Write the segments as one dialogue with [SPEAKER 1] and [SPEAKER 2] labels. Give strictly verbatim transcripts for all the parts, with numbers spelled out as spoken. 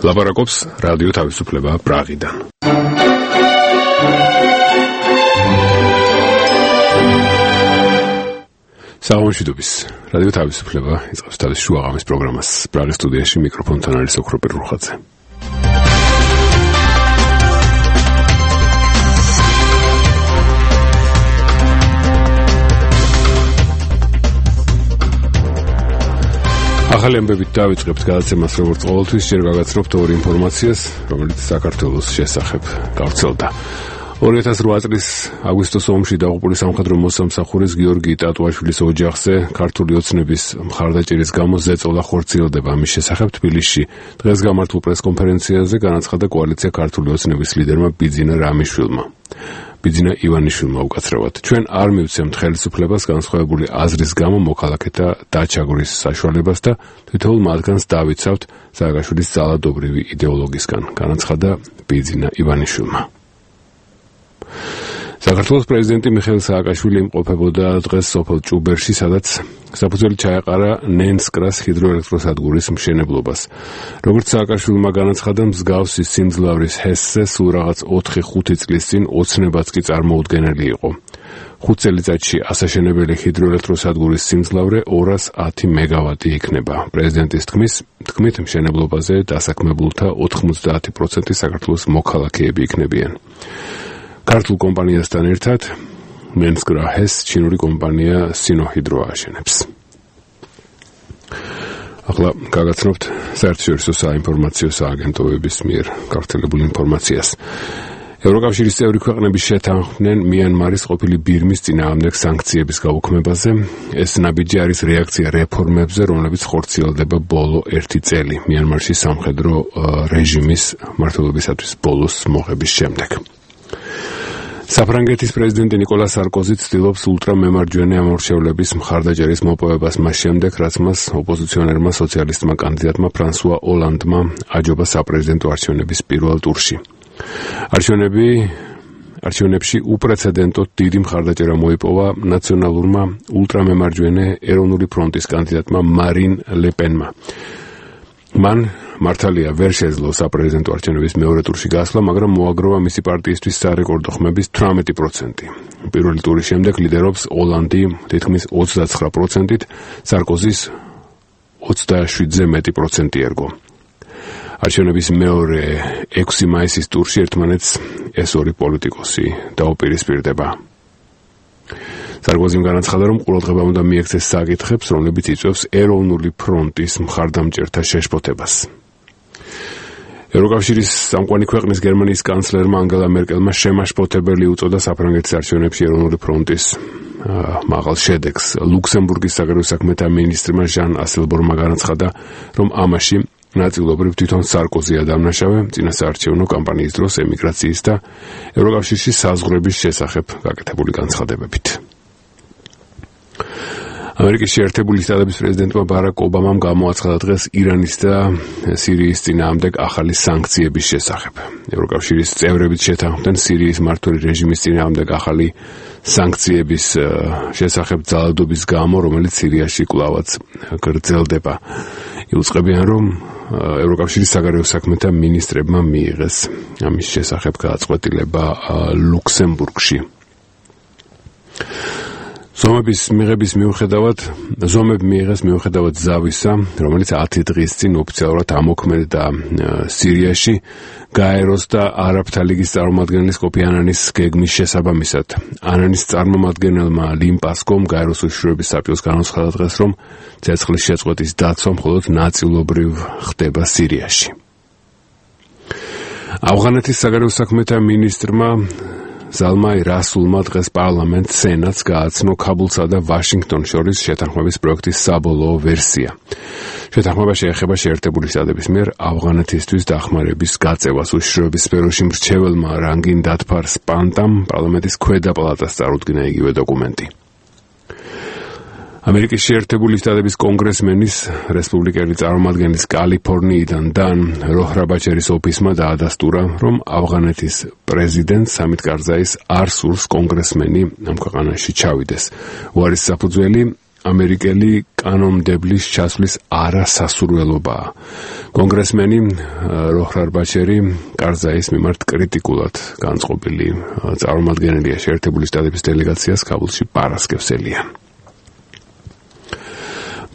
[SPEAKER 1] ლაპარაკობს რადიო თავისუფლება პრაღიდან. საღამოშიდობის რადიო თავისუფლება იწყებს თავის შუაღამის პროგრამას. პრაღის სტუდიაში მიკროფონთან არის ოქრო პირუხაძე. ახალი ამბებით დავიწყებთ გადაცემას, როგორც ყოველთვის ჯერ გაგაცნობთ ორი ინფორმაციას, რომელიც საქართველოს შესახებ გავრცელდა. ორი ათას რვა წლის აგვისტოს ომში დაღუპული სამხედრო მოსამსახურის გიორგი ტატუაშვილის ოჯახზე ქართული ოცნების მხარდაჭერის გამო ზეწოლა ხორციელდება. ამის შესახებ თბილისში დღეს გამართულ პრესკონფერენციაზე განაცხადა კოალიცია ქართული ოცნების ლიდერმა ბიძინა რამიშვილმა. ბიძინა ივანიშვილმა უკაცრავად. ჩვენ არ მივცემთ ხელისუფლებას განსხვავებული აზრის გამო მოქალაქეთა დაჩაგვრის საშუალებას და თითოეულ მათგანს დავიცავთ სააკაშვილის ძალადობრივი იდეოლოგიისგან, განაცხადა ბიძინა ივანიშვილმა. საქართველოს პრეზიდენტი მიხეილ სააკაშვილი იმყოფებოდა დღეს სოფელ ჭუბერში, სადაც საფუძველი ჩაეყარა ნენსკრას ჰიდროელექტროსადგურის მშენებლობას. როგორც სააკაშვილმა განაცხადა, მსგავსი სიმძლავრის ჰესზე სულ რაღაც ოთხი ხუთი წლის წინ ოცნებაც კი წარმოუდგენელი იყო. ხუთ წელიწადში ასაშენებელი ჰიდროელექტროსადგურის სიმძლავრე ორას ათი მეგავატი იქნება. პრეზიდენტის თქმის თქმით მშენებლობაზე დასაქმებულთა ოთხმოცდაათი პროცენტი საქართველოს მოქალაქეები იქნებიან. ქართულ კომპანიასთან ერთად ნენსკრა ჰეს ჩინური კომპანია სინოჰიდრო ააშენებს. ახლა გაგაცნობთ საერთაშორისო საინფორმაციო სააგენტოების მიერ გავრცელებულ ინფორმაციას. ევროკავშირის წევრი ქვეყნები შეთანხმდნენ მიანმარის ყოფილი ბირმის წინააღმდეგ სანქციების გაუქმებაზე. ეს ნაბიჯი არის რეაქცია რეფორმებზე, რომლებიც ხორციელდება ბოლო ერთი წელი მიანმარში სამხედრო რეჟიმის მმართველობისათვის ბოლოს მოღების შემდეგ. საფრანგეთის პრეზიდენტი ნიკოლა სარკოზი ცდილობს ულტრამემარჯვენე ამორჩევლების მხარდაჭერის მოპოვებას მას შემდეგ, რაც მას ოპოზიციონერმა სოციალისტმა კანდიდატმა ფრანსუა ოლანდმა აჯობა საპრეზიდენტო არჩევნების პირველ ტურში. არჩევნები არჩევნებში უპრეცედენტოდ დიდი მხარდაჭერა მოიპოვა ნაციონალურმა ულტრამემარჯვენე ეროვნული ფრონტის კანდიდატმა მარინ ლე-პენმა. მან მართალია ვერ შეძლო საპრეზიდენტო არჩევნების მეორე ტურში გასვლა, მაგრამ მოაგროვა მისი პარტიისთვის სარეკორდო ხმების თვრამეტი პროცენტი. პირველი ტურის შემდეგ ლიდერობს ოლანდი თითქმის ოცდაცხრა პროცენტით, სარკოზის ოცდაშვიდზე მეტი პროცენტი ერგო. არჩევნების მეორე ექვსი მაისის ტურში ერთმანეთს ეს ორი პოლიტიკოსი დაუპირისპირდება. სარკოზიმ განაცხადა, რომ ყურადღება უნდა მიექცეს საკითხებს, რომლებიც იწვევს ეროვნული ფრონტის მხარდამჭერთა შეშფოთებას. ევროკავშირის სამკვანი ქვეყნის გერმანიის კანცლერმა ანგელა მერკელმა შემაშფოთებელი უწოდა საფრანგეთის არჩევნებში ეროვნული ფრონტის მაღალ შედეგს. ლუქსემბურგის საგარეო საქმეთა მინისტრმა ჟან ასელბორმა განაცხადა, რომ ამაში ნაწილობრივ თვითონ სარკოზია დამნაშავე წინასაარჩევნო კამპანიის დროს ემიგრაციის და ევროკავშირში საზღვრების შესახებ გაკეთებული განცხადებებით. ამერიკის შეერთებული შტატების პრეზიდენტმა ბარაკ ობამამ გამოაცხადა დღეს ირანის და სირიის წინააღმდეგ ახალი სანქციების შესახებ. ევროკავშირის წევრებიც შეთანხმდნენ სირიის მმართველი რეჟიმის წინააღმდეგ ახალი სანქციების შესახებ ძალადობის გამო, რომელიც სირიაში კვლავაც გრძელდება. იუწყებიან, რომ ევროკავშირის საგარეო საქმეთა მინისტრებმა მიიღეს ამის შესახებ გადაწყვეტილება ლუქსემბურგში. ზომების მიღების მიუხედავად, ზომები მიიღეს მიუხედავად ზავისა, რომელიც ათი დღის წინ ოფიციალურად ამოქმედა სირიაში, გაეროს და არაბთა ლიგის წარმომადგენლის კოფი ანანის გეგმის შესაბამისად. ანანის წარმომადგენელმა ლიმ პასკომ გაეროს უშიშროების საბჭოს განაცხადა დღეს, რომ ცეცხლის შეწყვეტის დაცვა მხოლოდ ნაწილობრივ ხდება სირიაში. ავღანეთის საგარეო საქმეთა მინისტრმა ზალმაი რასულმა დღეს პარლამენტ სენატს გააცნო ქაბულსა და ვაშინგტონს შორის შეთანხმების პროექტის საბოლოო ვერსია. შეთანხმება შეეხება შეერთებული შტატების მიერ ავღანეთისთვის დახმარების გაწევას. უშიშროების სფეროში მრჩეველმა რანგინ დათფარ სპანტამ პარლამენტის ქვედა პალატას წარუდგინა იგივე დოკუმენტი. ამერიკის შეერთებული შტატების კონგრესმენის რესპუბლიკელი წარმომადგენლის კალიფორნიიდან დან როჰრაბაჩერის ოფისმა დაადასტურა, რომ ავღანეთის პრეზიდენტ სამით კარზაის არ სურს კონგრესმენი ამ ქვეყანაში ჩავიდეს. უარის საფუძველი ამერიკელი კანონმდებლის ჩასვლის არასასურველობაა. კონგრესმენი როჰრარ ბაჩერი კარზაის მიმართ კრიტიკულად განწყობილი წარმომადგენელია შეერთებული შტატების დელეგაციას ქაბულში პარასკევს ელიან.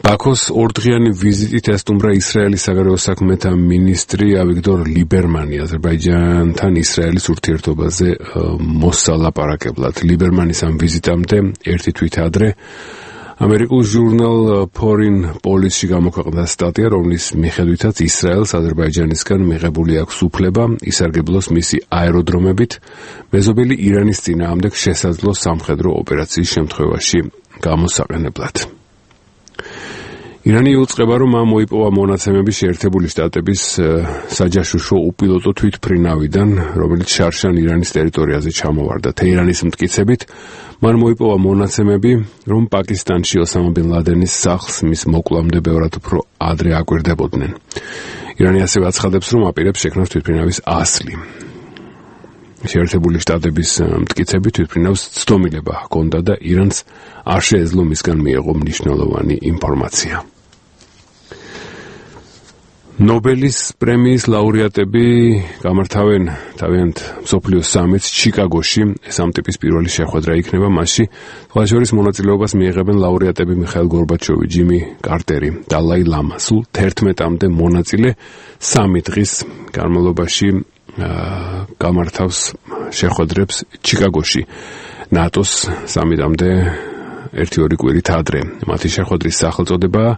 [SPEAKER 1] ბაქოს ორდღიანი ვიზიტით ესტუმრა ისრაელის საგარეო საქმეთა მინისტრი ავიგდორ ლიბერმანი აზერბაიჯანთან ისრაელის ურთიერთობაზე მოსალაპარაკებლად. ლიბერმანის ამ ვიზიტამდე ერთი თვით ადრე ამერიკულ ჟურნალ Foreign Policy-ში გამოქვეყნდა სტატია, რომლის მიხედვითაც ისრაელს აზერბაიჯანისგან მიღებული აქვს უფლება ისარგებლოს მისი აეროდრომებით მეზობელი ირანის წინააღმდეგ შესაძლო სამხედრო ოპერაციის შემთხვევაში გამოსაყენებლად. ირანი იუწყება, რომ ამ მოიპოვა მონაცემები შეერთებული შტატების საჯაშუშო უპილოტო თვითმფრინავიდან, რომელიც შარშან ირანის ტერიტორიაზე ჩამოვარდა. თეირანის მტკიცებით, მან მოიპოვა მონაცემები, რომ პაკისტანში ოსამა ბინ ლადენის სახლს მის მოკლამდე ბევრად უფრო ადრე აკვირდებოდნენ. ირანი ასევე აცხადებს, რომ აპირებს შექმნას თვითმფრინავის ასლი. შეერთებული შტატების მტკიცებით თვითმფრინავს ცდომილება ჰქონდა და ირანს არ შეეძლო მისგან მიეღო მნიშვნელოვანი ინფორმაცია. ნობელის პრემიის ლაურეატები გამართავენ თავიანთ მსოფლიო სამიტს ჩიკაგოში. ეს ამ ტიპის პირველი შეხვედრა იქნება, მასში სხვადასხვა მონაწილეობას მიიღებენ ლაურეატები მიხაილ გორბაჩოვი, ჯიმი კარტერი, დალაი ლამა. სულ თერთმეტამდე მონაწილე სამი დღის განმავლობაში გამართავს შეხვედრებს ჩიკაგოში. ნატოს სამიტამდე ერთი-ორი კვირით ადრე. მათი შეხვედრის სახელწოდებაა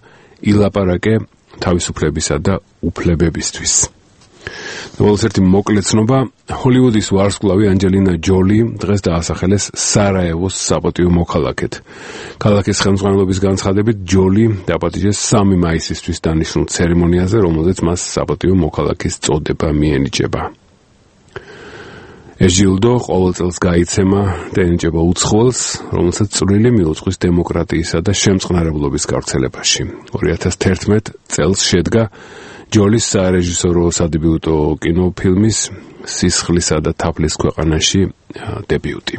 [SPEAKER 1] ილაპარაკე თავისუფლებისა და უფლებებისთვის. ნოველის ერთი მოკლე ცნობა, ჰოლივუდის ვარსკვლავი ანჯელინა ჯოლი დღეს დაასახელეს სარაევოს საპატიო მოქალაქედ. ქალაქის ხელმძღვანელობის განცხადებით, ჯოლი დაპატიჟეს სამი მაისისთვის დანიშნულ ცერემონიაზე, რომელზეც მას საპატიო მოქალაქის წოდება მიენიჭება. ეს ჯილდო ყოველ წელს გაიცემა და ენიჭება უცხოელს, რომელსაც წვლილი მიუძღვის დემოკრატიისა და შემწყნარებლობის გავრცელებაში. ორი ათას თერთმეტ წელს შედგა ჯოლის სარეჟისორო სადებიუტო კინოფილმის სისხლისა და თაფლის ქვეყანაში დებიუტი.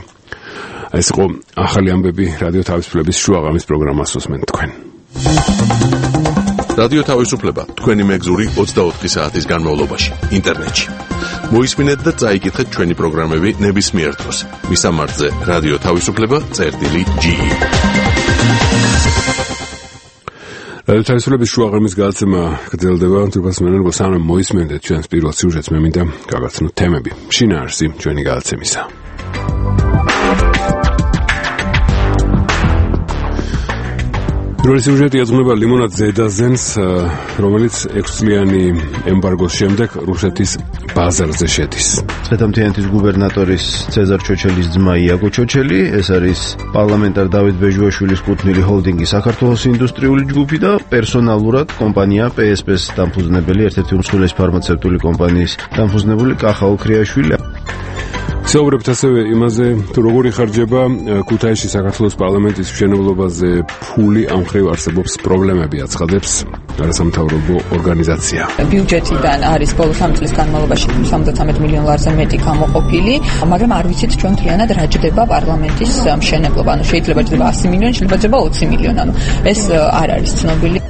[SPEAKER 1] ეს იყო ახალი ამბები რადიო თავისუფლების შუაღამის პროგრამას უსმენთ თქვენ.
[SPEAKER 2] რადიო თავისუფლება თქვენი მეგზური ოცდაოთხი საათის განმავლობაში ინტერნეტში. მოისმინეთ და წაიკითხეთ ჩვენი პროგრამები ნებისმიერ დროს. მისამართზე რადიო თავისუფლება წერტილი ჯი. რადიო თავისუფლების შუაღამის გადაცემა გრძელდება. თურქას მენერგო სანამ მოისმენთ ჩვენს პირველ სიუჟეტს, მე მინდა გავაცნოთ თემები. შინაარსი ჩვენი გადაცემისა. პირველი სიუჟეტი ეძღვნება ლიმონად ზედაზენს, რომელიც ექვსწლიანი ემბარგოს შემდეგ რუსეთის ბაზარზე შედის.
[SPEAKER 3] წვეთამთიანეთის გუბერნატორის ცეზარ ჩოჩელის ძმა იაგო ჩოჩელი, ეს არის პარლამენტარ დავით ბეჟუაშვილის კუთვნილი ჰოლდინგი საქართველოს ინდუსტრიული ჯგუფი და პერსონალურად კომპანია პე ეს პე-ს დამფუძნებელი, ერთ-ერთი უმსხვილესი ფარმაცევტული კომპანიის დამფუძნებული კახა ოქრიაშვილი. საუბრებთ ასევე იმაზე, თუ როგორ იხარჯება ქუთაისში საქართველოს პარლამენტის მშენებლობაზე ფული, ამ მხრივ არსებობს პრობლემები, აცხადებს არასამთავრობო ორგანიზაცია.
[SPEAKER 4] ბიუჯეტიდან არის ბოლო სამი წლის განმავლობაში სამოცდათრამეტ მილიონ ლარზე მეტი გამოყოფილი, მაგრამ არ ვიცით ჩვენ მთლიანად რა ჯდება პარლამენტის მშენებლობა. ანუ შეიძლება ჯდება ასი მილიონი, შეიძლება ჯდება ოცი მილიონი. ანუ ეს არ არის ცნობილი.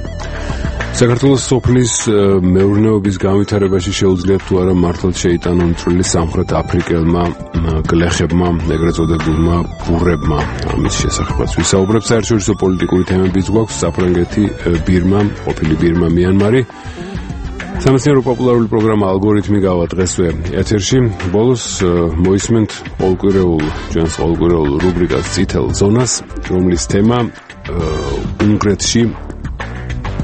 [SPEAKER 1] საქართველოს სოფლის მეურნეობის განვითარებაში შეუძლიათ თუ არა მართლაც შეიტანონ წვლილი სამხრეთ აფრიკელმა გლეხებმა, ეგრეთ წოდებულმა ბურებმა. ამის შესახებაც ვისაუბრებ. საერთაშორისო პოლიტიკური თემებიც გვაქვს: საფრანგეთი, ბირმა, ყოფილი ბირმა, მიანმარი. სამეცნიერო პოპულარული პროგრამა ალგორითმი გავა დღესვე ეთერში. ბოლოს მოისმენთ ყოველკვირეულ ჩვენს ყოველკვირეულ რუბრიკას წითელ ზონას, რომლის თემა უნგრეთში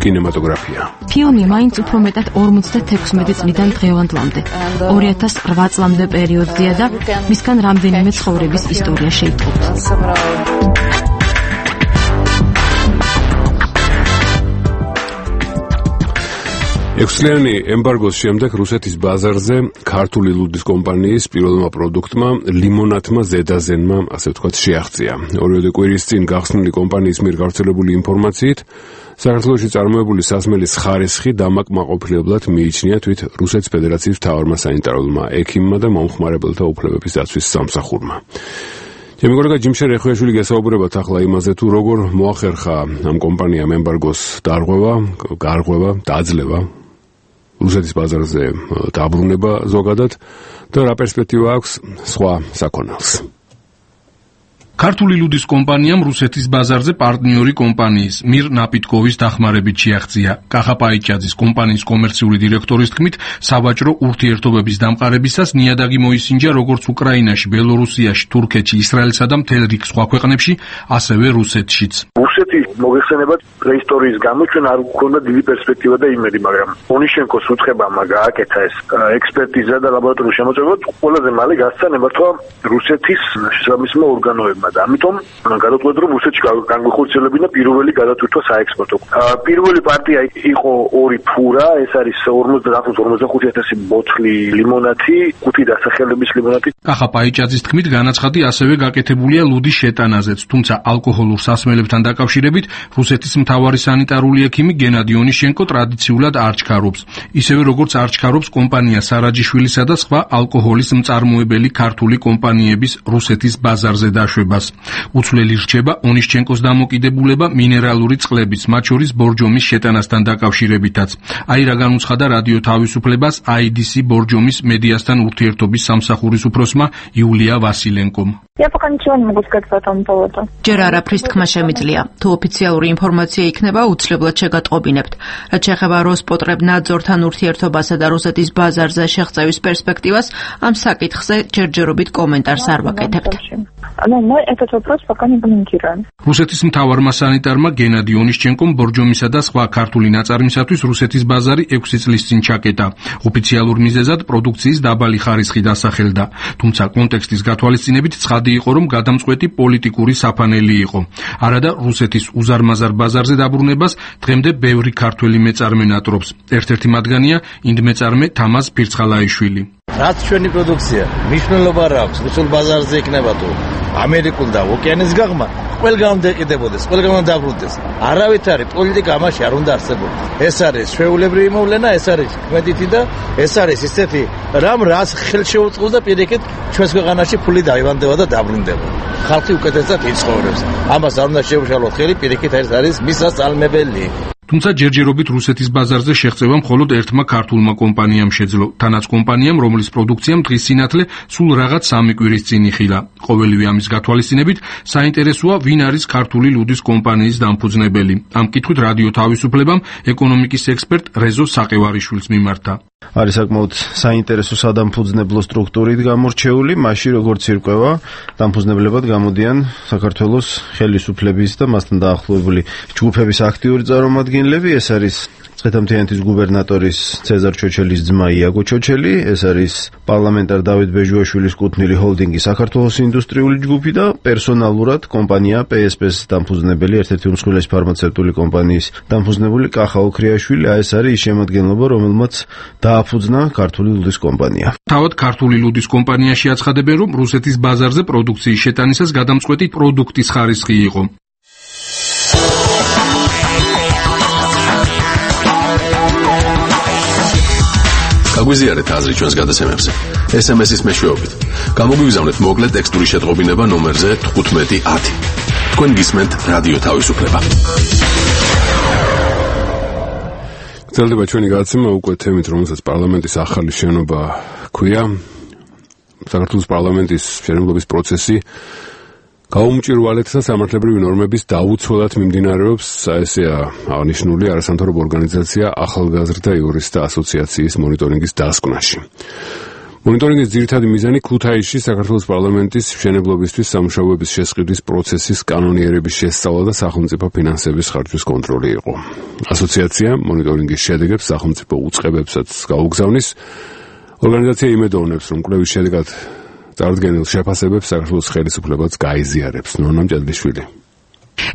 [SPEAKER 1] კინემატოგრაფია.
[SPEAKER 5] ფილმი მაინც უფრო მეტად ორმოცდათექვსმეტი წლიდან დღევანდლამდე, ორი ათას ოთხ წლამდე პერიოდზეა და მისგან რამდენიმე ცხოვრების ისტორია შეიტყობთ.
[SPEAKER 1] ექვსწლიანი ემბარგოს შემდეგ რუსეთის ბაზარზე ქართული ლუდის კომპანიის პირველმა პროდუქტმა ლიმონათმა ზედაზენმა, ასე ვთქვათ, შეაღწია. ორივე კვირის წინ გახსნილი კომპანიის მიერ გავრცელებული ინფორმაციით, საქართველოში წარმოებული სასმელის ხარისხი დამაკმაყოფილებლად მიიჩნია თვით რუსეთის ფედერაციის მთავარმა სანიტარულმა ექიმმა და მომხმარებელთა უფლებების დაცვის სამსახურმა. ემიგროლოგა ჯიმშე რეხუიაშვილი გესაუბრებათ ახლა იმაზე თუ როგორ მოახერხა ამ კომპანიამ ემბარგოს დარღვევა, გარღვევა, დაძლევა, რუსეთის ბაზარზე დაბრუნება ზოგადად და რა პერსპექტივა აქვს სხვა საქონელს.
[SPEAKER 6] ქართული ლუდის კომპანიამ რუსეთის ბაზარზე პარტნიორი კომპანიის მირ ნაპიტკოვის დახმარებით შეაღწია. კახა პაიჭაძის კომპანიის კომერციული დირექტორის თქმით, სავაჭრო ურთიერთობების დამყარებისას ნიადაგი მოისინჯა როგორც უკრაინაში, ბელორუსიაში, თურქეთში, ისრაელსა და მთელ რიგ სხვა ქვეყნებში, ასევე რუსეთშიც.
[SPEAKER 7] რუსეთის მოგეხსენებათ პრეისტორიის გამო ჩვენ არ გვქონდა დიდი პერსპექტივა და იმედი, მაგრამ ონიშენკოს უცხებამ გააკეთა ეს ექსპერტიზა და ლაბორატორიული შემოწმება, ყველაზე მალე გასცა ნებართვა რუსეთის შესაბამისმა ორგანოებმა. ამიტომ გადავწყვეტ რომ რუსეთში განგვეხორციელებინა პირველი გადათვირთვა საექსპორტო. პირველი პარტია იყო ორი ფურა, ეს არის ორმოცდაათი ორმოცდახუთი ათასი ბოთლი ლიმონათი, ხუთი დასახელების ლიმონათი.
[SPEAKER 6] კახა პაიჭაძის თქმით, განაცხადი ასევე გაკეთებულია ლუდის შეტანაზეც, თუმცა ალკოჰოლურ სასმელებთან დაკავშირებით რუსეთის მთავარი სანიტარული ექიმი გენადი ონიშენკო ტრადიციულად არ ჩქარობს. ისევე როგორც არ ჩქარობს კომპანია სარაჯიშვილისა და სხვა ალკოჰოლის მწარმოებელი ქართული კომპანიების რუსეთის ბაზარზე დაშვება. უცვლელი რჩება ონიშჩენკოს დამოკიდებულება მინერალური წყლების, მათ შორის ბორჯომის შეტანასთან დაკავშირებითაც. აი რა განუცხადა რადიო თავისუფლებას აი დი სი ბორჯომის მედიასთან ურთიერთობის სამსახურის უფროსმა იულია ვასილენკომ.
[SPEAKER 5] ჯერ არაფრის თქმა შემიძლია. თუ ოფიციალური ინფორმაცია იქნება, უცლებლად შეგატყობინებთ. რაც შეეხება როსპოტრებნაძორთან ურთიერთობასა და რუსეთის ბაზარზე შეღწევის პერსპექტივას, ამ საკითხზე ჯერჯერობით კომენტარს არ ვაკეთებთ.
[SPEAKER 6] რუსეთის მთავარმა სანიტარმა გენადი ონიშჩენკომ ბორჯომისა და სხვა ქართული ნაწარმისათვის რუსეთის ბაზარი ექვსი წლის წინ ჩაკეტა. ოფიციალურ მიზეზად პროდუქციის დაბალი ხარისხი დასახელდა. თუმცა კონტექსტის გათვალისწინებით ცხადი იყო, რომ გადამწყვეტი პოლიტიკური საფანელი იყო. არადა რუსეთის უზარმაზარ ბაზარზე დაბრუნებას დღემდე ბევრი ქართველი მეწარმე ნატრობს. ერთ-ერთი მათგანია ინდმეწარმე თამაზ ფირცხალაიშვილი.
[SPEAKER 8] რაც ჩვენი პროდუქცია მნიშვნელობა რა აქვს რუსულ ბაზარზე იქნება თუ ამერიკულ და ოკეანის გაღმა ყველგან დაიყიდებოდეს, ყველგან დაბრუნდეს. არავით არის პოლიტიკა ამაში არ უნდა არსებობდეს. ეს არის ჩვეულებრივი მოვლენა, ეს არის კმედითი და ეს არის ისეთი რამ რაც ხელს შეუწყობს და პირიქით ჩვენს ქვეყანაში ფული დაივანდება და დაბრუნდება. ხალხი უკეთესად იცხოვრებს. ამას არ უნდა შეუშალოთ ხელი, პირიქით ეს არის მისასალმებელი.
[SPEAKER 6] თუმცა ჯერჯერობით რუსეთის ბაზარზე შეღწევა მხოლოდ ერთმა ქართულმა კომპანიამ შეძლო. თანაც კომპანიამ, რომლის პროდუქციამ დღის სინათლე სულ რაღაც სამი კვირის წინ იხილა. ყოველივე ამის გათვალისწინებით საინტერესოა, ვინ არის ქართული ლუდის კომპანიის დამფუძნებელი. ამ კითხვით რადიო თავისუფლებამ ეკონომიკის ექსპერტ რეზო საყევარიშვილს მიმართა.
[SPEAKER 3] არის საკმაოდ საინტერესო სადამფუძნებლო სტრუქტურით გამორჩეული, მაშინ როგორც ირკვევა, დამფუძნებლებად გამოდიან საქართველოს ხელისუფლების და მასთან დაახლოებული ჯგუფების აქტიური წარმომადგენლები. ეს არის წითელმთიანეთის გუბერნატორის ცეზარ ჩოჩელის ძმა იაგო ჩოჩელი, ეს არის პარლამენტარ დავით ბეჟუაშვილის კუთვნილი ჰოლდინგის საქართველოს ინდუსტრიული ჯგუფი და პერსონალურად კომპანია პე ეს პე-ს დამფუძნებელი, ერთ-ერთი უმსხვილესი ფარმაცევტული კომპანიის დამფუძნებული კახა ოქრიაშვილი, ეს არის ის შემადგენლობა, რომელმაც დააფუძნა ქართული ლუდის კომპანია.
[SPEAKER 6] თავად ქართული ლუდის კომპანიაში აცხადებენ, რომ რუსეთის ბაზარზე პროდუქციის შეტანისას გადამწყვეტი პროდუქტის ხარისხი იყო.
[SPEAKER 2] გაგვიზიარეთ აზრი ჩვენს გადაცემებზე. ეს ემ ეს-ის მეშვეობით. გამოგვიგზავნეთ მოკლე ტექსტური შეტყობინება ნომერზე თხუთმეტი ათი. თქვენ გისმენთ რადიო თავისუფლება.
[SPEAKER 1] გრძელდება ჩვენი გადაცემა უკვე თემით, რომელსაც პარლამენტის ახალი შენობა ჰქვია. საქართველოს პარლამენტის შენებლობის პროცესი გაუმჭირვალეთა სამართლებრივი ნორმების დაუცველად მიმდინარეობს, ესეა აღნიშნული არასამთავრობო ორგანიზაცია ახალგაზრდა იურისტთა ასოციაციის მონიტორინგის დასკვნაში. მონიტორინგის ძირითადი მიზანი ქუთაისში საქართველოს პარლამენტის მშენებლობისთვის სამუშაოების შესყიდვის პროცესის კანონიერების შესწავლა და სახელმწიფო ფინანსების ხარჯვის კონტროლი იყო. ასოციაცია მონიტორინგის შედეგებს სახელმწიფო უწყებებსაც გაუგზავნის. ორგანიზაცია იმედოვნებს, რომ კვლევის შედეგად წარდგენილ შეფასებებს საქართველოს ხელისუფლებაც გაიზიარებს. ნონა მჭედლიშვილი.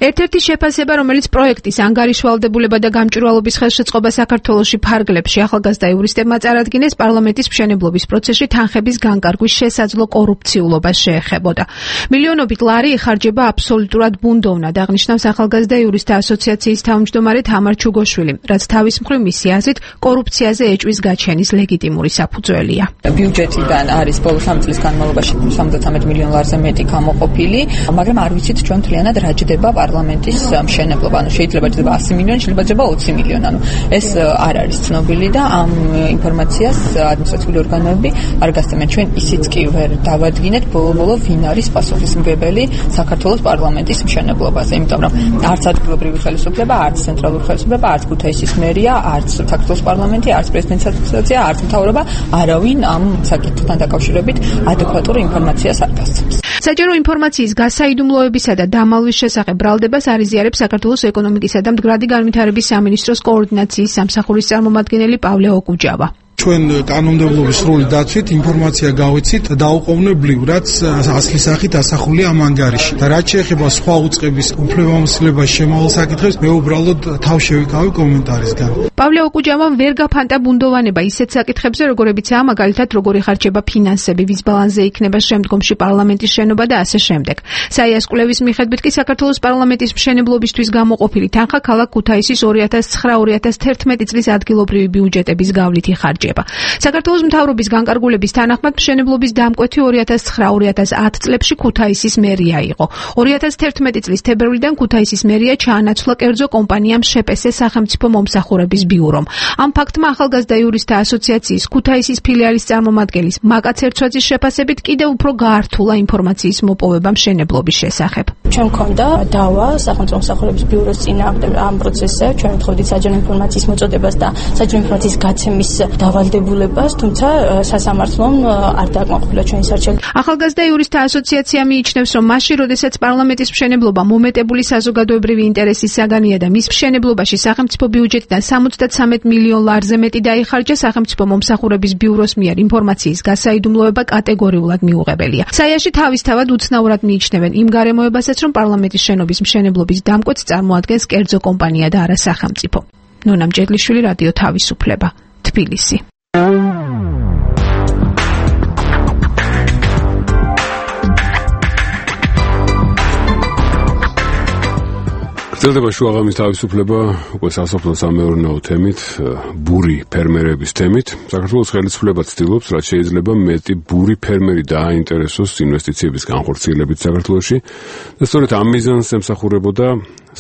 [SPEAKER 9] ერთ-ერთი შეფასება, რომელიც პროექტის ანგარიშვალდებულება და გამჭვირვალობის ხელშეწყობა საქართველოში ფარგლებში ახალგაზრდა იურისტებმა წარადგინეს პარლამენტის მშენებლობის პროცესში თანხების განკარგვის შესაძლო კორუფციულობას შეეხებოდა. მილიონობით ლარი იხარჯება აბსოლუტურად ბუნდოვნად, აღნიშნავს ახალგაზრდა იურისტთა ასოციაციის თავმჯდომარე თამარ ჩუგოშვილი, რაც თავის მხრივ მისი აზრით კორუფციაზე ეჭვის გაჩენის ლეგიტიმური საფუძველია.
[SPEAKER 4] ბიუჯეტიდან არის ბოლო სამი წლის განმავლობაში სამოცდათამეტ მილიონ ლარზე მეტი გამოყოფილი, მაგრამ არ ვიცით ჩვენ თლიანად რა ჯდება პარლამენტის მშენებლობა. ანუ შეიძლება ჯდება ასი მილიონი, შეიძლება ჯდება ოცი მილიონი. ანუ ეს არ არის ცნობილი და ამ ინფორმაციას ადმინისტრაციული ორგანოები არ გასცემენ. ჩვენ ისიც კი ვერ დავადგინეთ ბოლო-ბოლო ვინ არის პასუხისმგებელი საქართველოს პარლამენტის მშენებლობაზე, იმიტომ რომ არც ადგილობრივი ხელისუფლება, არც ცენტრალური ხელისუფლება, არც ქუთაისის მერია, არც საქართველოს პარლამენტი, არც პრეზიდენტის ადმინისტრაცია, არც მთავრობა არავინ ამ საკითხთან დაკავშირებით ადეკვატურ ინფორმაციას არ გასცემს.
[SPEAKER 9] საჯარო ინფორმაციის გასაიდუმლოებისა და დამალვის შესახებ ბრალდებას არიზიარებს საქართველოს ეკონომიკისა და მდგრადი განვითარების სამინისტროს კოორდინაციის სამსახურის წარმომადგენელი პავლე ოკუჯავა.
[SPEAKER 10] ჩვენ კანონმდებლობის სრული დაცვით ინფორმაცია გავიცით დაუყოვნებლივ, რაც ასლის სახით ასახულია ამ ანგარიში. და რაც შეეხება სხვა უწყების უფლებამოსილებას შემავალ საკითხებს, მე უბრალოდ თავ შევიკავი კომენტარისგან.
[SPEAKER 9] პავლე ოკუჯავამ ვერ გაფანტა ბუნდოვანება ისეთ საკითხებზე, როგორებიცაა მაგალითად როგორი ხარჯება ფინანსები, ვის ბალანსზე იქნება შემდგომში პარლამენტის შენობა და ასე შემდეგ. საიას კვლევის მიხედვით კი საქართველოს პარლამენტის მშენებლობისთვის გამოყოფილი თანხა ქალაქ ქუთაისის ორი ათას ცხრა ორი ათას თერთმეტი წლის ადგილობრივი ბიუჯეტების გავლითი ხარჯება. საქართველოს მთავრობის განკარგულების თანახმად მშენებლობის დამკვეთი ორი ათას ცხრა ორი ათას ათი წლებში ქუთაისის მერია იყო. ორი ათას თერთმეტი წლის თებერვლიდან ქუთაისის მერია ჩაანაცვლა კერძო კომპანიამ შეპესე სახელმწიფო მომსახურების ბიურომ. ამ ფაქტმა ახალგაზრდა იურისტთა ასოციაციის ქუთაისის ფილიალის წარმომადგენლის მაკაც ერცვაძის შეფასებით კიდევ უფრო გაართულა ინფორმაციის მოპოვება მშენებლობის შესახებ.
[SPEAKER 11] ჩვენ მქონდა დავა სახელმწიფო მომსახურების ბიუროს წინააღმდეგ ამ პროცესზე, ჩვენ ვთხოვდით საჯარო ინფორმაციის მოწოდებას და საჯარო ინფორმაციის გაცემის დავალდებულებას, თუმცა სასამართლომ არ დააკმაყოფილა ჩვენი არჩევანი.
[SPEAKER 9] ახალგაზრდა იურისტთა ასოციაცია მიიჩნევს, რომ მაშინ, როდესაც პარლამენტის მშენებლობა მომეტებული საზოგადოებრივი ინტერესის საგანია და მის მშენებლობაში სახელმწიფო ბიუჯეტიდან სამოცდათსამეტ მილიონ ლარზე მეტი დაიხარჯა, სახელმწიფო მომსახურების ბიუროს მიერ ინფორმაციის გასაიდუმლოება კატეგორიულად მიუღებელია. საიაში თავისთავად უცნაურად მიიჩნევენ იმ გარემოებასაც, რომ პარლამენტის შენობის მშენებლობის დამკვეთს წარმოადგენს კერძო კომპანია და არა სახელმწიფო. ნონა მჭედლიშვილი, რადიო თავისუფლება, თბილისი.
[SPEAKER 1] გრძელდება შუაღამის თავისუფლება უკვე სასოფლო-სამეურნეო თემით, ბური ფერმერების თემით. საქართველოს ხელისუფლება ცდილობს, რაც შეიძლება მეტი ბური ფერმერი დააინტერესოს ინვესტიციების განხორციელებით საქართველოში და სწორედ ამ მიზანს ემსახურებოდა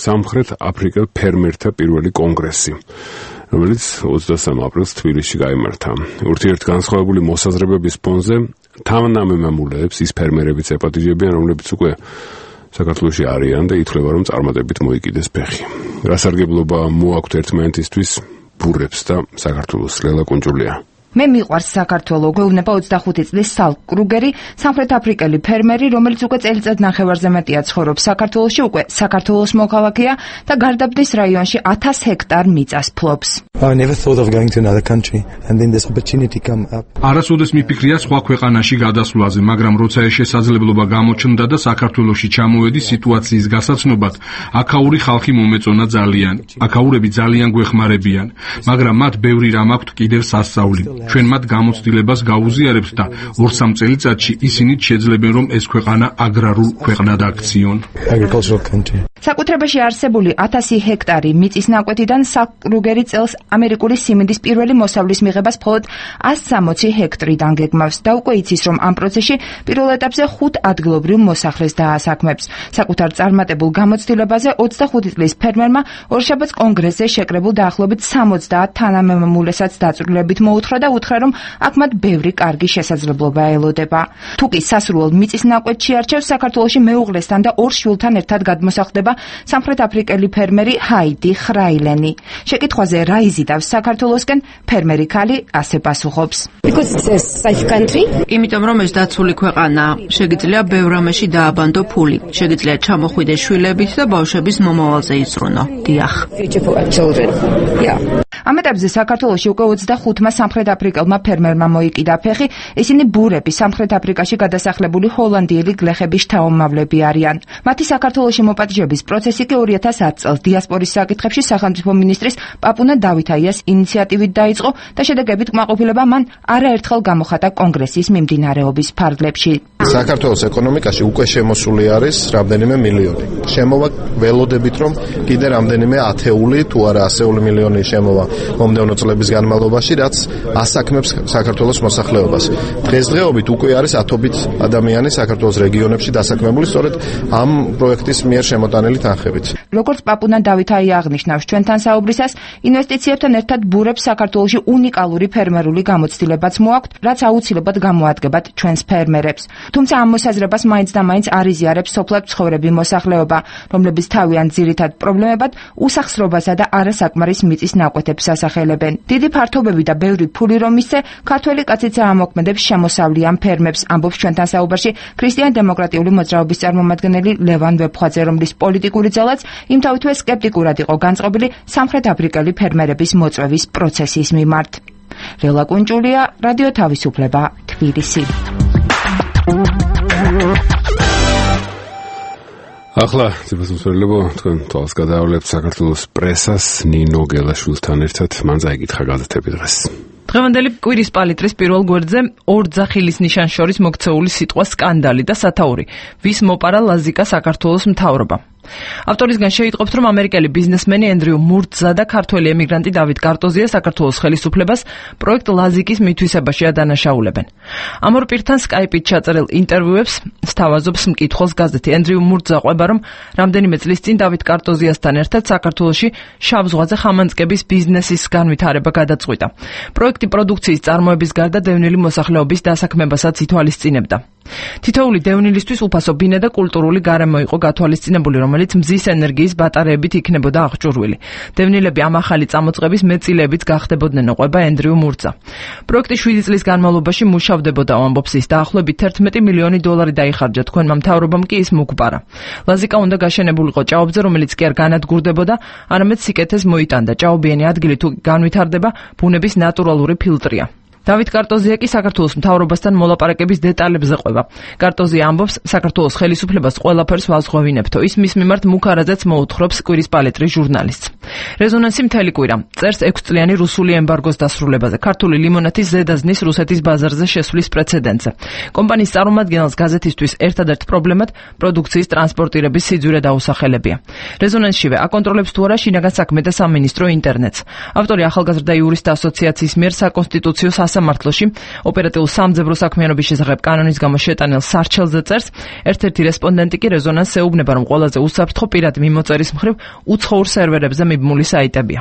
[SPEAKER 1] სამხრეთ აფრიკელ ფერმერთა პირველი კონგრესი, რომელიც ოცდასამ აპრილს თბილისში გაიმართა. ურთიერთგანსხვავებული მოსაზრებების ფონზე თანამემამულეებს ის ფერმერებიც ეპატიჟებიან, რომლებიც უკვე საქართველოში არიან და ითვლება, რომ წარმატებით მოიკიდეს ფეხი. გასარგებლობა მოაქვთ ერთმანეთისთვის ბურებს და საქართველოს. ლელა კუნჯულია.
[SPEAKER 12] მე მიყვარს საქართველო, გვეუბნება ოცდახუთი წლის სალკ კრუგერი, სამხრეთ აფრიკელი ფერმერი, რომელიც უკვე წელიწად ნახევარზე მეტია ცხოვრობს საქართველოში, უკვე საქართველოს მოქალაქეა და გარდაბნის რაიონში ათას ჰექტარ მიწას ფლობს.
[SPEAKER 6] არასოდეს მიფიქრია სხვა ქვეყანაში გადასვლაზე, მაგრამ როცა ეს შესაძლებლობა გამოჩნდა და საქართველოში ჩამოვედი სიტუაციის გასაცნობად, აქაური ხალხი მომეწონა ძალიან. აქაურები ძალიან გვეხმარებიან, მაგრამ მათ ბევრი რამ აქვთ კიდევ სასწაული. ჩვენ მათ გამოცდილებას გაუზიარებთ და ორ-სამ წელიწადში ისინიც შეძლებენ, რომ ეს ქვეყანა აგრარულ ქვეყნად აქციონ.
[SPEAKER 12] საკუთრებაში არსებული ათასი ჰექტარი მიწის ნაკვეთიდან სალკ კრუგერი წელს ამერიკული სიმინდის პირველი მოსავლის მიღებას მხოლოდ ასი სამოცი ჰექტრიდან გეგმავს და უკვე იცის, რომ ამ პროცესში პირველ ეტაპზე ხუთ ადგილობრივ მოსახლეს დაასაქმებს. საკუთარ წარმატებულ გამოცდილებაზე ოცდახუთი წლის ფერმერმა ორშაბათს კონგრესზე შეკრებულ დაახლოებით სამოცდაათ თანამემამულესაც დაწვრილებით მოუთხრა და უთხრა, რომ აქ მათ ბევრი კარგი შესაძლებლობა ელოდება. თუ კი სასურველ მიწის ნაკვეთში არჩევს, საქართველოში მეუღლესთან და ორ შვილთან ერთად გადმოსახლდება სამხრეთ აფრიკელი ფერმერი ჰაიდი ხრაილენი. შეკითხვაზე რა იზიდავს საქართველოსკენ, ფერმერი ქალი ასე პასუხობს.
[SPEAKER 5] იმიტომ რომ ეს დაცული ქვეყანაა, შეგიძლია ბევრ რამეში დააბანდო ფული, შეგიძლია ჩამოხვიდე შვილებით და ბავშვების მომავალზე იზრუნო. დიახ.
[SPEAKER 12] ამ ეტაპზე საქართველოში უკვე ოცდახუთმა სამხრეთ აფრიკელმა ფერმერმა მოიკიდა ფეხი, ისინი ბურები სამხრეთ აფრიკაში გადასახლებული ჰოლანდიელი გლეხების შთამომავლები არიან. მათი საქართველოში მოპატიჟების პროცესი კი ორი ათას ათ წელს დიასპორის საკითხებში სახელმწიფო მინისტრის პაპუნა დავითაიას ინიციატივით დაიწყო და შედეგებით კმაყოფილება მან არაერთხელ გამოხატა კონგრესის მიმდინარეობის ფარგლებში.
[SPEAKER 13] საქართველოს ეკონომიკაში უკვე შემოსული არის რამდენიმე მილიონი. შემოვა ველოდებით, რომ კიდე რამდენიმე ათეული თუ არა ასეული მილიონი შემოვა მომდევნო წლების განმავლობაში, რაც ასაქმებს საქართველოს მოსახლეობას. დღესდღეობით უკვე არის ათობით ადამიანი საქართველოს რეგიონებში დასაქმებული სწორედ ამ პროექტის მიერ შემოტანილი თანხებით.
[SPEAKER 12] როგორც პაპუნა დავითაია აღნიშნავს ჩვენთან საუბრისას, ინვესტიციებთან ერთად ბურებს საქართველოში უნიკალური ფერმერული გამოცდილებაც მოაქვთ, რაც აუცილებლად გამოადგებათ ჩვენს ფერმერებს. თუმცა ამ მოსაზრებას მაინც და მაინც არიზიარებს სოფლად მცხოვრები მოსახლეობა, რომლებიც თავიანთ ძირითად პრობლემებად უსახსრობასა და არასაკმარის მიწის ნაკვეთებს ასახელებენ. დიდი ფართობები და ბევრი ფული რომ მისცე, ქართველი კაციც ამოქმედებს შემოსავლიან ამ ფერმებს, ამბობს ჩვენთან საუბარში ქრისტიან-დემოკრატიული მოძრაობის წარმომადგენელი ლევან ვეფხვაძე, რომლის პოლიტიკური ძალაც იმთავითვე სკეპტიკურად იყო განწყობილი სამხრეთ აფრიკელი ფერმერების მოწვევის პროცესის მიმართ. ლელა კუნჭულია, რადიო თავისუფლება, თბილისი.
[SPEAKER 1] ახლა ძებასმსვერლებო, თქვენ თვალს გადაავლებთ საქართველოს პრესას ნინო გელაშვილთან ერთად, მან წაიკითხა გაზეთები დღეს.
[SPEAKER 14] დღევანდელი კვირის პალიტრის პირველ გვერდზე ორ ძახილის ნიშანს შორის მოქცეული სიტყვა სკანდალი და სათაური. ვის მოპარა ლაზიკა საქართველოს მთავრობა. ავტორისგან შეიტყობთ, რომ ამერიკელი ბიზნესმენი ენდრიუ მურტზა და ქართველი ემიგრანტი დავით კარტოზია საქართველოს ხელისუფლებას პროექტ ლაზიკის მითვისებაში ადანაშაულებენ. ამ ორ პირთან სკაიპით ჩაწერილ ინტერვიუებს სთავაზობს მკითხველს გაზეთი. ენდრიუ მურტზა ყვება, რომ რამდენიმე წლის წინ დავით კარტოზიასთან ერთად საქართველოში შავ ზღვაზე ხამანწკების ბიზნესის განვითარება გადაწყვიტა. პროექტი პროდუქციის წარმოების გარდა დევნილი მოსახლეობის დასაქმებასაც ითვალისწინებდა. თითოეული დევნილისთვის უფასო ბინა და კულტურული გარემო იყო გათვალისწინებული, რომელიც მზის ენერგიის ბატარეებით იქნებოდა აღჭურვილი. დევნილები ამ ახალი წამოწყების მეწილეებიც გახდებოდნენ, ყვება ენდრიუ მურტზა. პროექტი შვიდი წლის განმავლობაში მუშავდებოდა, ამბობს ის, დაახლოებით თერთმეტი მილიონი დოლარი დაიხარჯა, თქვენმა მთავრობამ კი ის მოგვპარა. ლაზიკა უნდა გაშენებულიყო ჭაობზე, რომელიც კი არ განადგურდებოდა, არამედ სიკეთეს მოიტანდა. ჭაობიანი ადგილი თუ განვითარდება, ბუნების ნატურალური ფილტრია. დავით კარტოზია კი საქართველოს მთავრობასთან მოლაპარაკების დეტალებზე ყვება. კარტოზია ამბობს, საქართველოს ხელისუფლებას ყველაფერს ვაზღვევინებთო. ის მის მიმართ მუქარაძეც მოუთხრობს კვირის პალიტრის ჟურნალისტს. რეზონანსი მთელი კვირა წერს ექვსწლიანი რუსული ემბარგოს დასრულებაზე, ქართული ლიმონათის ზედაზნის რუსეთის ბაზარზე შესვლის პრეცედენტზე. კომპანიის წარმომადგენელს გაზეთისთვის ერთადერთ პრობლემად პროდუქციის ტრანსპორტირების სიძვირე დაუსახელებია. რეზონანსშივე აკონტროლებს თუ არა შინაგან საქმეთა სამინისტრო ინტერნეტს. ავტორი ახალგაზრდა იურისტთა ასოციაციის მიერ საკონსტიტუციო სამართლოში ოპერატიულ სამძებრო საქმიანობის შესახებ კანონის გამო შეტანილ სარჩელზე წერს, ერთ-ერთი რესპონდენტი კი რეზონანსს ეუბნება, რომ ყველაზე უსაფრთხო პირადი მიმოწერის მხრივ უცხოურ სერვერებზე მიბმული საიტებია.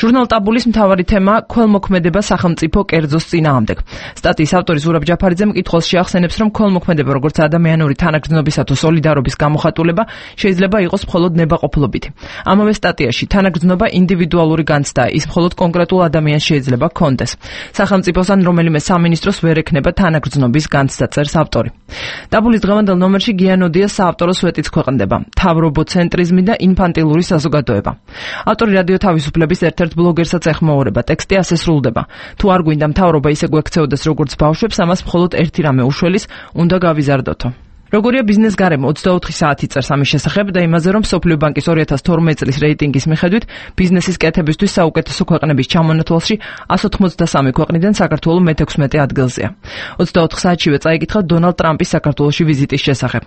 [SPEAKER 14] ჟურნალ ტაბულის მთავარი თემაა ქველმოქმედება სახელმწიფო კერძოს წინააღმდეგ. სტატიის ავტორი ზურაბ ჯაფარიძე მკითხველს შეახსენებს, რომ ქველმოქმედება როგორც ადამიანური თანაგრძნობისა თუ სოლიდარობის გამოხატულება შეიძლება იყოს მხოლოდ ნებაყოფლობითი. ამავე სტატიაში თანაგრძნობა ინდივიდუალური განცდაა, ის მხოლოდ კონკრეტულ ადამიანს შეიძლება ჰქონდეს. სახელმწიფოს ან რომელიმე სამინისტროს ვერ ექნება თანაგრძნობის განცდა, წერს ავტორი. ტაბულის დღევანდელ ნომერში გიანოდიას საავტორო სვეტიც ქვეყნდება, თავრობოცენტრიზმი და ინფანტილური საზოგადოება. ავტორი რადიო თავისუფლების ერთ-ერთ ბლოგერსაც ეხმაურება, ტექსტი ასე სრულდება. თუ არ გვინდა მთავრობა ისე გვექცეოდეს როგორც ბავშვებს, ამას მხოლოდ ერთი რამე უშველის, უნდა გავიზარდოთო. როგორია ბიზნეს გარემო ოცდაოთხი საათი წერს ამის შესახებ და იმაზე, რომ მსოფლიო ბანკის ორი ათას თორმეტი წლის რეიტინგის მიხედვით ბიზნესის კეთებისთვის საუკეთესო ქვეყნების ჩამონათვალში εκατს ოცდაოთხი ქვეყნიდან საქართველო მეთექვსმეტე ადგილზეა. ოცდაოთხ საათშივე წაიკითხა დონალდ ტრამპის საქართველოში ვიზიტის შესახებ.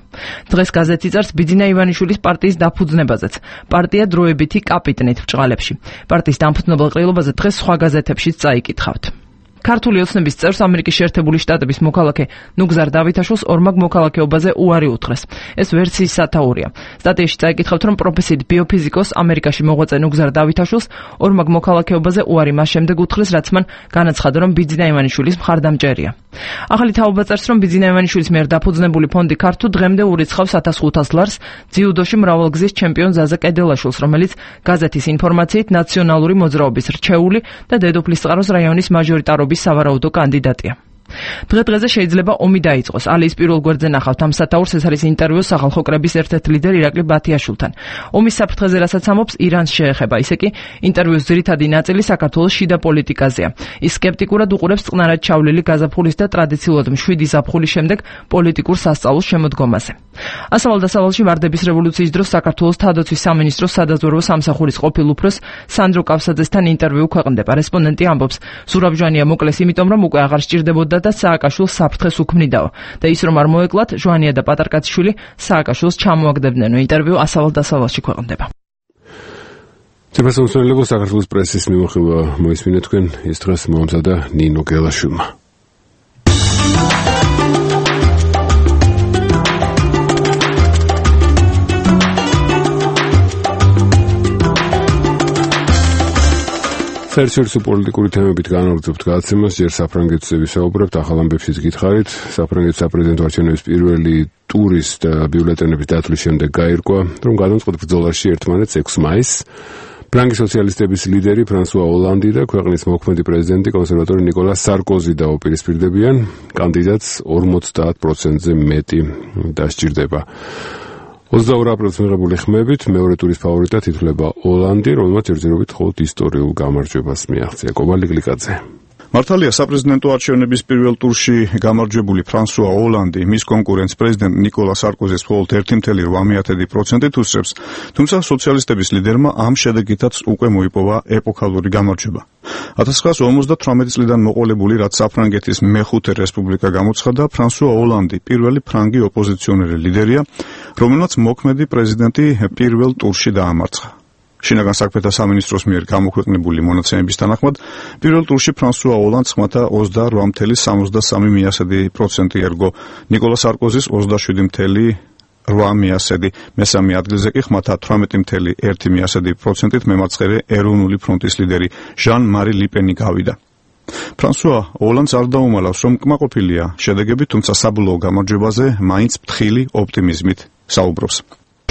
[SPEAKER 14] დღეს გაზეთი წერს ბიძინა ივანიშვილის პარტიის დაფუძნებაზეც. პარტია დროებითი კაპიტნით ბჭყალებში. პარტიის დამფუძნებელ ყრილობაზე დღეს სხვა გაზეთებშიც წაიკითხავთ. ქართული ოცნების წევრს ამერიკის შეერთებული შტატების მოქალაქე ნუგზარ დავითაშვილს ორმაგ მოქალაქეობაზე უარი უთხრეს. ეს ვერსიის სათაურია. სტატიაში წაიკითხავთ, რომ პროფესიით ბიოფიზიკოს ამერიკაში მოღვაწე ნუგზარ დავითაშვილს ორმაგ მოქალაქეობაზე უარი მას შემდეგ უთხრეს, რაც მან განაცხადა, რომ ბიძინა ივანიშვილის მხარდამჭერია. ახალი თაობა წერს, რომ ბიძინა ივანიშვილის მიერ დაფუძნებული ფონდი ქართულ დღემდე ურიცხავს ათას ხუთას ლარს ძიუდოში მრავალგზის ჩემპიონ ზაზა კედელაშვილს, რომელიც გაზეთის ინფორმაციით ნაციონალური მოძრაობის რჩეული და დედოფლისწყაროს რაიონის მაჟორიტარობის სავარაუდო კანდიდატია. დღე-დღეზე შეიძლება ომი დაიწყოს. ალიის პირველ გვერდზე ნახავთ ამ სათაურს, ეს არის ინტერვიუ სახალხო კრების ერთ-ერთ ლიდერ ირაკლი ბათიაშვილთან. ომის საფრთხეზე რასაც ამბობს, ირანს შეეხება. ისე კი ინტერვიუს ძირითადი ნაწილი საქართველოს შიდა პოლიტიკაზეა. ის სკეპტიკურად უყურებს წყნარად ჩავლილი გაზაფხულის და ტრადიციულად მშვიდი ზაფხულის შემდეგ პოლიტიკურ სასწაულს შემოდგომაზე. ასავალ-დასავალში ვარდების რევოლუციის დროს საქართველოს თავდაცვის სამინისტროს სადაზვერვო სამსახურის ყოფილ უფროს სანდრო კავსაძესთან ინტერვიუ ქვეყნდება. რესპონდენტი ამბობს, ზურაბ-ჟვანია მოკლეს იმიტომ, რომ უკვე აღარ სჭირდებოდა და სააკაშვილს საფრთხეს უქმნიდაო და ის რომ არ მოეკლათ, ჟვანია და პატარკაციშვილი სააკაშვილს ჩამოაგდებდნენ. ინტერვიუ ასავალ-დასავალში ქვეყნდება.
[SPEAKER 1] ციფრასამსახურებო საქართველოს პრესის მიმოხილვა მოისმინეთ თქვენ, ის დღეს მოამზადა ნინო გელაშვილმა. საერთაშორისო პოლიტიკური თემებით განვაგრძობთ გადაცემას, ჯერ საფრანგეთზე ვისაუბრებთ, ახალ ამბებშიც გითხარით. საფრანგეთის საპრეზიდენტო არჩევნების პირველი ტურის და ბიულეტენების დათვლის შემდეგ გაირკვა, რომ გადამწყვეტ ბრძოლაში ერთმანეთს ექვსი მაისს ფრანგი სოციალისტების ლიდერი ფრანსუა ოლანდი და ქვეყნის მოქმედი პრეზიდენტი კონსერვატორი ნიკოლა სარკოზი დაუპირისპირდებიან. კანდიდატს ორმოცდაათ პროცენტზე მეტი დასჭირდება. ოცდაორი აპრილს მიღებული ხმებით მეორე ტურის ფავორიტად ითვლება ოლანდი, რომელმაც ერთდროულად მხოლოდ ისტორიულ გამარჯვებას მიაღწია. კობალი გლიკაძე.
[SPEAKER 15] მართალია, საპრეზიდენტო არჩევნების პირველ ტურში გამარჯვებული ფრანსუა ოლანდი მის კონკურენტს პრეზიდენტ ნიკოლა სარკოზის მხოლოდ ერთი კoma ოთხ პროცენტით უსწრებს, თუმცა სოციალისტების ლიდერმა ამ შედეგითაც უკვე მოიპოვა ეპოქალური გამარჯვება. ათას ცხრაასი ორმოცდათვრამეტი წლიდან მოყოლებული, რაც საფრანგეთის მეხუთე რესპუბლიკა გამოცხადა, ფრანსუა ოლანდი პირველი ფრანგი ოპოზიციონერი ლიდერია, რომელმაც მოქმედი პრეზიდენტი პირველ ტურში დაამარცხა. შინაგან საქმეთა სამინისტროს მიერ გამოქვეყნებული მონაცემების თანახმად, პირველ ტურში ფრანსუა ოლანდს ხმათა ოცდაორ კoma სამი პროცენტი ერგო, ნიკოლა სარკოზის ოცდაშვიდი კoma ორი, მესამე ადგილზე კი ხმათა თვრამეტი კoma ერთი პროცენტით მემარცხენე ეროვნული ფრონტის ლიდერი ჟან-მარი ლიპენი გავიდა. ფრანსუა ოლანდს არ დაუმალავს, რომ კმაყოფილია შედეგებით, თუმცა საბოლოო გამარჯვებაზე მაინც ფრთხილი ოპტიმიზმით საუბრობს.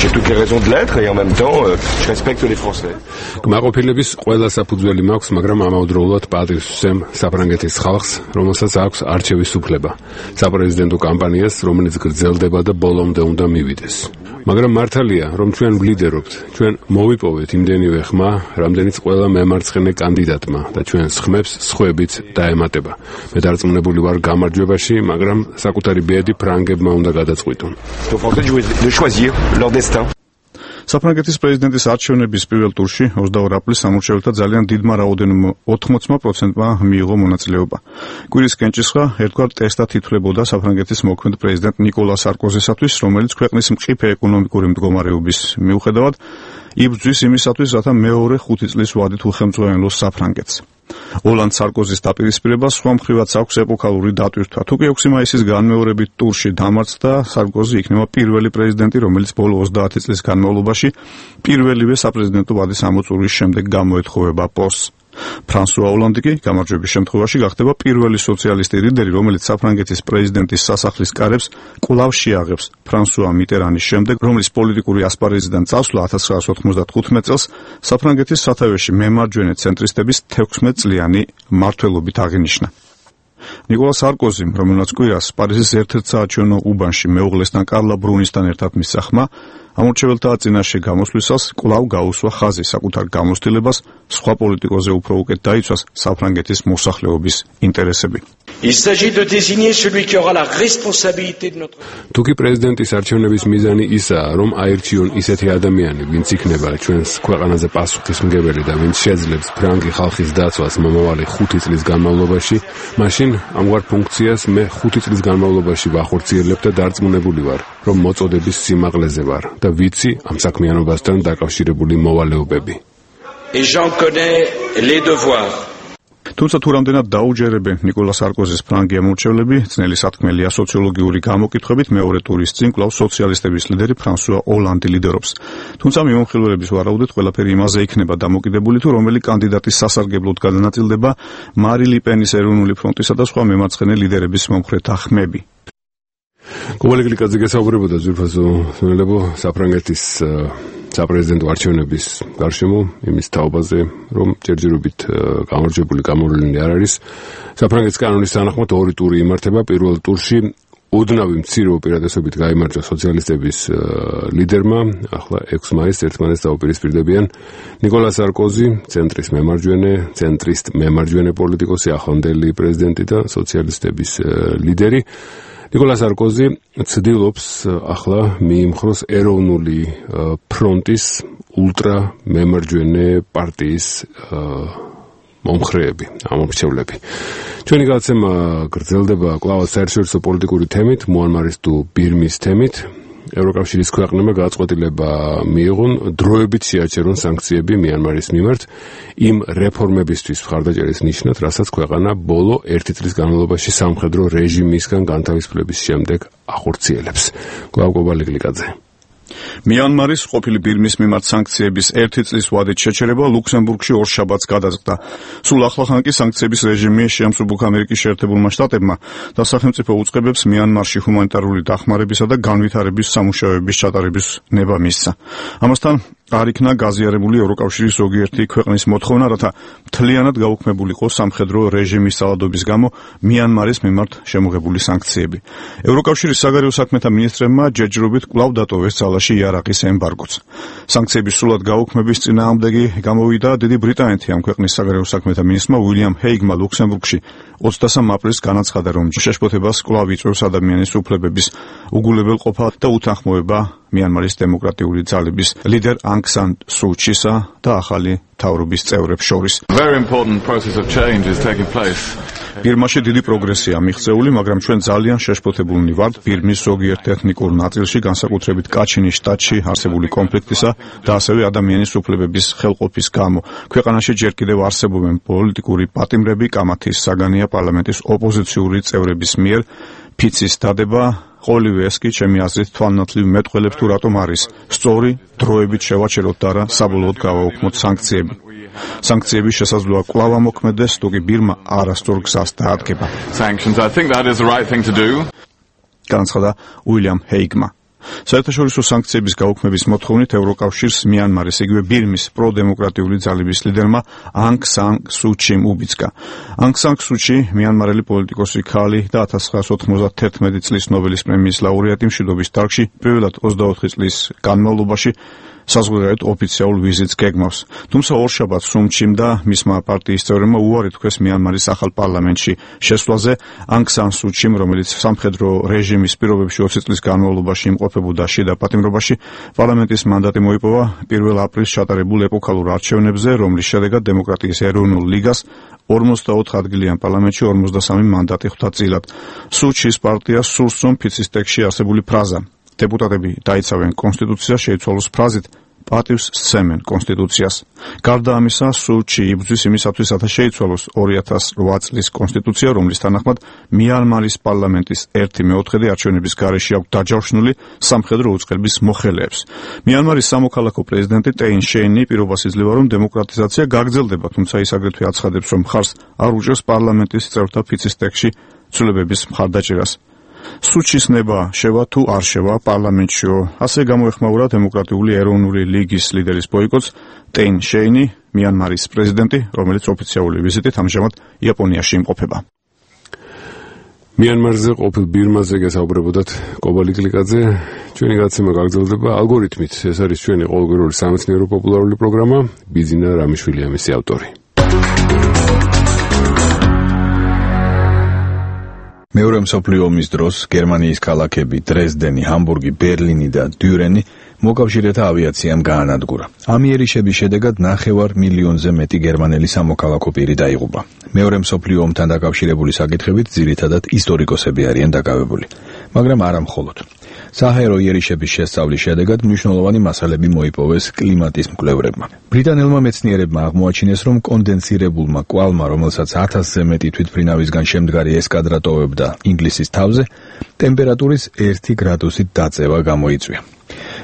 [SPEAKER 16] J'ai toutes les raisons de l'être et en même temps, euh, je respecte les Français.
[SPEAKER 1] კმაყოფილების ყველა საფუძველი მაქვს, მაგრამ ამავდროულად პატივს ვსემ საფრანგეთის ხალხს, რომელსაც აქვს არჩევის უფლება. საპრეზიდენტო კამპანიას, რომელიც გრძელდება და ბოლომდე უნდა მივიდეს. მაგრამ მართალია, რომ ჩვენ ვლიდერობთ, ჩვენ მოვიპოვეთ იმდენივე ხმა, რამდენიც ყველა მემარცხენე კანდიდატმა და ჩვენს ხმებს სხვებით დაემატება. მე დარწმუნებული ვარ გამარჯვებაში, მაგრამ საკუთარი ბედი ფრანგებმა უნდა გადაწყვიტონ.
[SPEAKER 15] საფრანგეთის პრეზიდენტის არჩევნების პირველ ტურში ოცდაორი აპრილის სამორჩეველთა ძალიან დიდმა რაოდენობა ოთხმოცი პროცენტმა მიიღო მონაწილეობა. კვირის კენჭისყრა ერთგვარ ტესტად ითვლებოდა საფრანგეთის მოქმედ პრეზიდენტ ნიკოლა სარკოზისათვის, რომელიც ქვეყნის მყიფე ეკონომიკური მდგომარეობის მიუხედავად იბრძვის იმისათვის, რათა მეორე ხუთი წლის ვადით უხელმძღვანელოს საფრანგეთს. ოლანდ სარკოზის დაპირისპირება სხვა მხრივაც აქვს ეპოქალური დატვირთვა. თუ კი ექვსი მაისის განმეორებით ტურში დამარცხდა, სარკოზი იქნება პირველი პრეზიდენტი, რომელიც ბოლო ოცდაათი წლის განმავლობაში პირველივე საპრეზიდენტო ვადის ამოწურვის შემდეგ გამოეთხოვება პოსტს. ფრანსუა ოლანდი კი გამარჯვების შემთხვევაში გახდება პირველი სოციალისტი ლიდერი, რომელიც საფრანგეთის პრეზიდენტის სასახლის კარებს კვლავ შეაღებს ფრანსუა მიტერანის შემდეგ, რომლის პოლიტიკური ასპარეზიდან წასვლა ათას ცხრაასი ოთხმოცდათხუთმეტ წელს საფრანგეთის სათავეში მემარჯვენე ცენტრისტების თექვსმეტწლიანი მმართველობით აღინიშნა. ნიკოლა სარკოზიმ, რომელმაც კვირას პარიზის ერთ-ერთ საარჩევნო უბანში მეუღლესთან კარლა ბრუნისთან ერთად მისცა ხმა, ამორჩეველთა წინაშე გამოსვლისას კვლავ გაუსვა ხაზი საკუთარ გამოცდილებას სხვა პოლიტიკოზე უფრო უკეთ დაიცვას საფრანგეთის მოსახლეობის ინტერესები.
[SPEAKER 1] თუკი პრეზიდენტის არჩევნების მიზანი ისაა, რომ აირჩიონ ისეთი ადამიანი, ვინც იქნება ჩვენს ქვეყანაზე პასუხისმგებელი და ვინც შეძლებს ფრანგი ხალხის დაცვას მომავალი ხუთი წლის განმავლობაში, მაშინ ამგვარ ფუნქციას მე ხუთი წლის განმავლობაში ვახორციელებ და დარწმუნებული ვარ, რომ მოწოდების სიმაღლეზე ვარ და ვიცი ამ საქმიანობასთან დაკავშირებული მოვალეობები.
[SPEAKER 15] თუმცა თუ რამდენად დაუჯერებენ ნიკოლა სარკოზის ფრანგი ამორჩევლები, ძნელი სათქმელია. სოციოლოგიური გამოკითხვებით მეორე ტურის წინ კვლავ სოციალისტების ლიდერი ფრანსუა ოლანდი ლიდერობს. თუმცა მიმოხილველების ვარაუდით ყველაფერი იმაზე იქნება დამოკიდებული, თუ რომელი კანდიდატის სასარგებლოდ გადანაწილდება მარი ლიპენის ეროვნული ფრონტისა და სხვა მემარცხენე ლიდერების მომხრეთა ხმები.
[SPEAKER 1] კობალი გლიკაძე გესაუბრებოდა ძვირფასო სვენელებო საფრანგეთის საპრეზიდენტო არჩევნების გარშემო იმის თაობაზე, რომ ჯერჯერობით გამარჯვებული გამოვლენილი არ არის. საფრანგეთის კანონის თანახმად ორი ტური იმართება. პირველ ტურში ოდნავი მცირე უპირატესობით გაიმარჯვა სოციალისტების ლიდერმა, ახლა ექვსი მაისს ერთმანეთს დაუპირისპირდებიან. ნიკოლა სარკოზი, ცენტრის მემარჯვენე, ცენტრისტ მემარჯვენე პოლიტიკოსი, ახლანდელი პრეზიდენტი და სოციალისტების ლიდერი. ნიკოლა სარკოზი ცდილობს ახლა მიიმხროს ეროვნული ფრონტის ულტრა მემარჯვენე პარტიის მომხრეები, ამომრჩევლები. ჩვენი გადაცემა გრძელდება კვლავ საერთაშორისო პოლიტიკური თემით, მუანმარის თუ ბირმის თემით. ევროკავშირის ქვეყნებმა გადაწყვეტილება მიიღონ დროებით შეაჩერონ სანქციები მიანმარის მიმართ იმ რეფორმებისთვის მხარდაჭერის ნიშნად, რასაც ქვეყანა ბოლო ერთი წლის განმავლობაში სამხედრო რეჟიმისგან განთავისუფლების შემდეგ ახორციელებს. კვლავ კობალი გლიკაძე.
[SPEAKER 15] მიანმარის ყოფილი ბირმის მიმართ სანქციების ერთი წლის ვადით შეჩერება ლუქსემბურგში ორ შაბათს გადაწყდა. სულ ახლახან კი სანქციების რეჟიმი შეამსუბუქა ამერიკის შეერთებულმა შტატებმა და სახელმწიფო უწყებებს მიანმარში ჰუმანიტარული დახმარებისა და განვითარების სამუშაოების ჩატარების ნება მისცა. ამასთან არ იქნა გაზიარებული ევროკავშირის ზოგიერთი ქვეყნის მოთხოვნა, რათა მთლიანად გაუქმებულიყო სამხედრო რეჟიმის ძალადობის გამო მიანმარის მიმართ შემოღებული სანქციები. ევროკავშირის საგარეო საქმეთა მინისტრებმა ჯერჯერობით კვლავ დატოვეს ძალაში იარაღის ემბარგოც. სანქციების სრულად გაუქმების წინააღმდეგი გამოვიდა დიდი ბრიტანეთი. ამ ქვეყნის საგარეო საქმეთა მინისტრმა უილიამ ჰეიგმა ლუქსემბურგში ოცდასამ აპრილს განაცხადა, რომ შეშფოთებას კვლავ იწვევს ადამიანის უფლებების უგულებელყოფა და უთანხმოება მიანმარის დემოკრატიული ძალების ლიდერ Aung San Suu Kyi-სა და ახალი მთავრობის წევრებს შორის. ბირმაში დიდი პროგრესია მიღწეული, მაგრამ ჩვენ ძალიან შეშფოთებულნი ვართ ბირმის ზოგიერთ ეთნიკურ ნაწილში, განსაკუთრებით კაჩინის შტატში არსებული კონფლიქტისა და ასევე ადამიანის უფლებების ხელყოფის გამო. ქვეყანაში ჯერ კიდევ არსებობენ პოლიტიკური პატიმრები, კამათის საგანია პარლამენტის ოპოზიციური წევრების მიერ ფიცის დადება. ყოველივე ეს კი ჩემი აზრით თვალნათლივ მეტყველებს თუ რატომ არის სწორი დროებით შევაჩეროთ და არა საბოლოოდ გავაუქმოთ სანქციები. სანქციები შესაძლოა კვლავ ამოქმედდეს, თუ კი ბირმა არასწორ გზას დაადგება. განაცხადა უილიამ ჰეიგმა. საერთაშორისო სანქციების გაუქმების მოთხოვნით ევროკავშირს მიანმარის იგივე ბირმის პროდემოკრატიული ძალების ლიდერმა Aung San Suu Kyi უბიძგა. Aung San Suu Kyi მიანმარელი პოლიტიკოსი ქალი და ათას ცხრაასი ოთხმოცდათერთმეტი წლის ნობელის პრემიის ლაურეატი მშვიდობის დარგში პირველად ოცდაოთხი წლის განმავლობაში საზღვარგარეთ ოფიციალურ ვიზიტს გეგმავს. თუმცა ორშაბათს Suu Kyi და მისმა პარტიის წევრებმა უარი თქვეს მიანმარის ახალ პარლამენტში შესვლაზე. Aung San Suu Kyi, რომელიც სამხედრო რეჟიმის პირობებში ოცი წლის განმავლობაში იმყოფებოდა შიდა პატიმრობაში, პარლამენტის მანდატი მოიპოვა პირველ აპრილს ჩატარებულ ეპოქალურ არჩევნებზე, რომლის შედეგად დემოკრატიის ეროვნულ ლიგას ორმოცდაოთხ ადგილიან პარლამენტში ორმოცდასამი მანდატი ხვდა წილად. Suu Kyi-ს პარტიას სურს, რომ ფიცის ტექსტში არსებული ფრაზა დეპუტატები დაიცავენ კონსტიტუციას შეიცვალოს ფრაზით პატივს სცემენ კონსტიტუციას. გარდა ამისა, Suu Kyi იბრძვის იმისათვის, რათა შეიცვალოს ორი ათას რვა წლის კონსტიტუცია, რომლის თანახმად მიანმარის პარლამენტის ერთი მეოთხედი არჩევნების გარეშე აქვს დაჯავშნული სამხედრო უწყების მოხელეებს. მიანმარის სამოქალაქო პრეზიდენტი ტეინ შეინი პირობას იძლევა, რომ დემოკრატიზაცია გაგრძელდება, თუმცა ის აგრეთვე აცხადებს, რომ მხარს არ უჭერს პარლამენტის წევრთა ფიცის ტექსტში ცვლილებების მხარდაჭერას. Suu Kyi-ს ნება შევა თუ არ შევა პარლამენტშიო. ასე გამოეხმაურა დემოკრატიული ეროვნული ლიგის ლიდერის ბოიკოტს ტეინ შეინი, მიანმარის პრეზიდენტი, რომელიც ოფიციალური ვიზიტით ამჟამად იაპონიაში იმყოფება.
[SPEAKER 1] მიანმარზე ყოფილ ბირმაზე გესაუბრებოდათ კობალი გლიკაძე. ჩვენი გადაცემა გაგრძელდება ალგორითმით. ეს არის ჩვენი ყოველკვირეული სამეცნიერო პოპულარული პროგრამა. ბიზინა რამიშვილია მისი ავტორი.
[SPEAKER 17] მეორე მსოფლიო ომის დროს გერმანიის ქალაქები დრეზდენი, ჰამბურგი, ბერლინი და დიურენი მოკავშირეთა ავიაციამ გაანადგურა. ამ იერიშების შედეგად ნახევარ მილიონზე მეტი გერმანელი სამოქალაქო პირი დაიღუპა. მეორე მსოფლიო ომთან დაკავშირებული საკითხებით ძირითადად ისტორიკოსები არიან დაკავებული, მაგრამ არა მხოლოდ. საჰაერო იერიშების შესწავლის შედეგად მნიშვნელოვანი მასალები მოიპოვეს კლიმატის მკვლევრებმა. ბრიტანელმა მეცნიერებმა აღმოაჩინეს, რომ კონდენსირებულმა კვალმა, რომელსაც ათასზე მეტი თვითმფრინავისგან შემდგარი ესკადრა ტოვებდა ინგლისის თავზე, ტემპერატურის ერთი გრადუსით დაწევა გამოიწვია.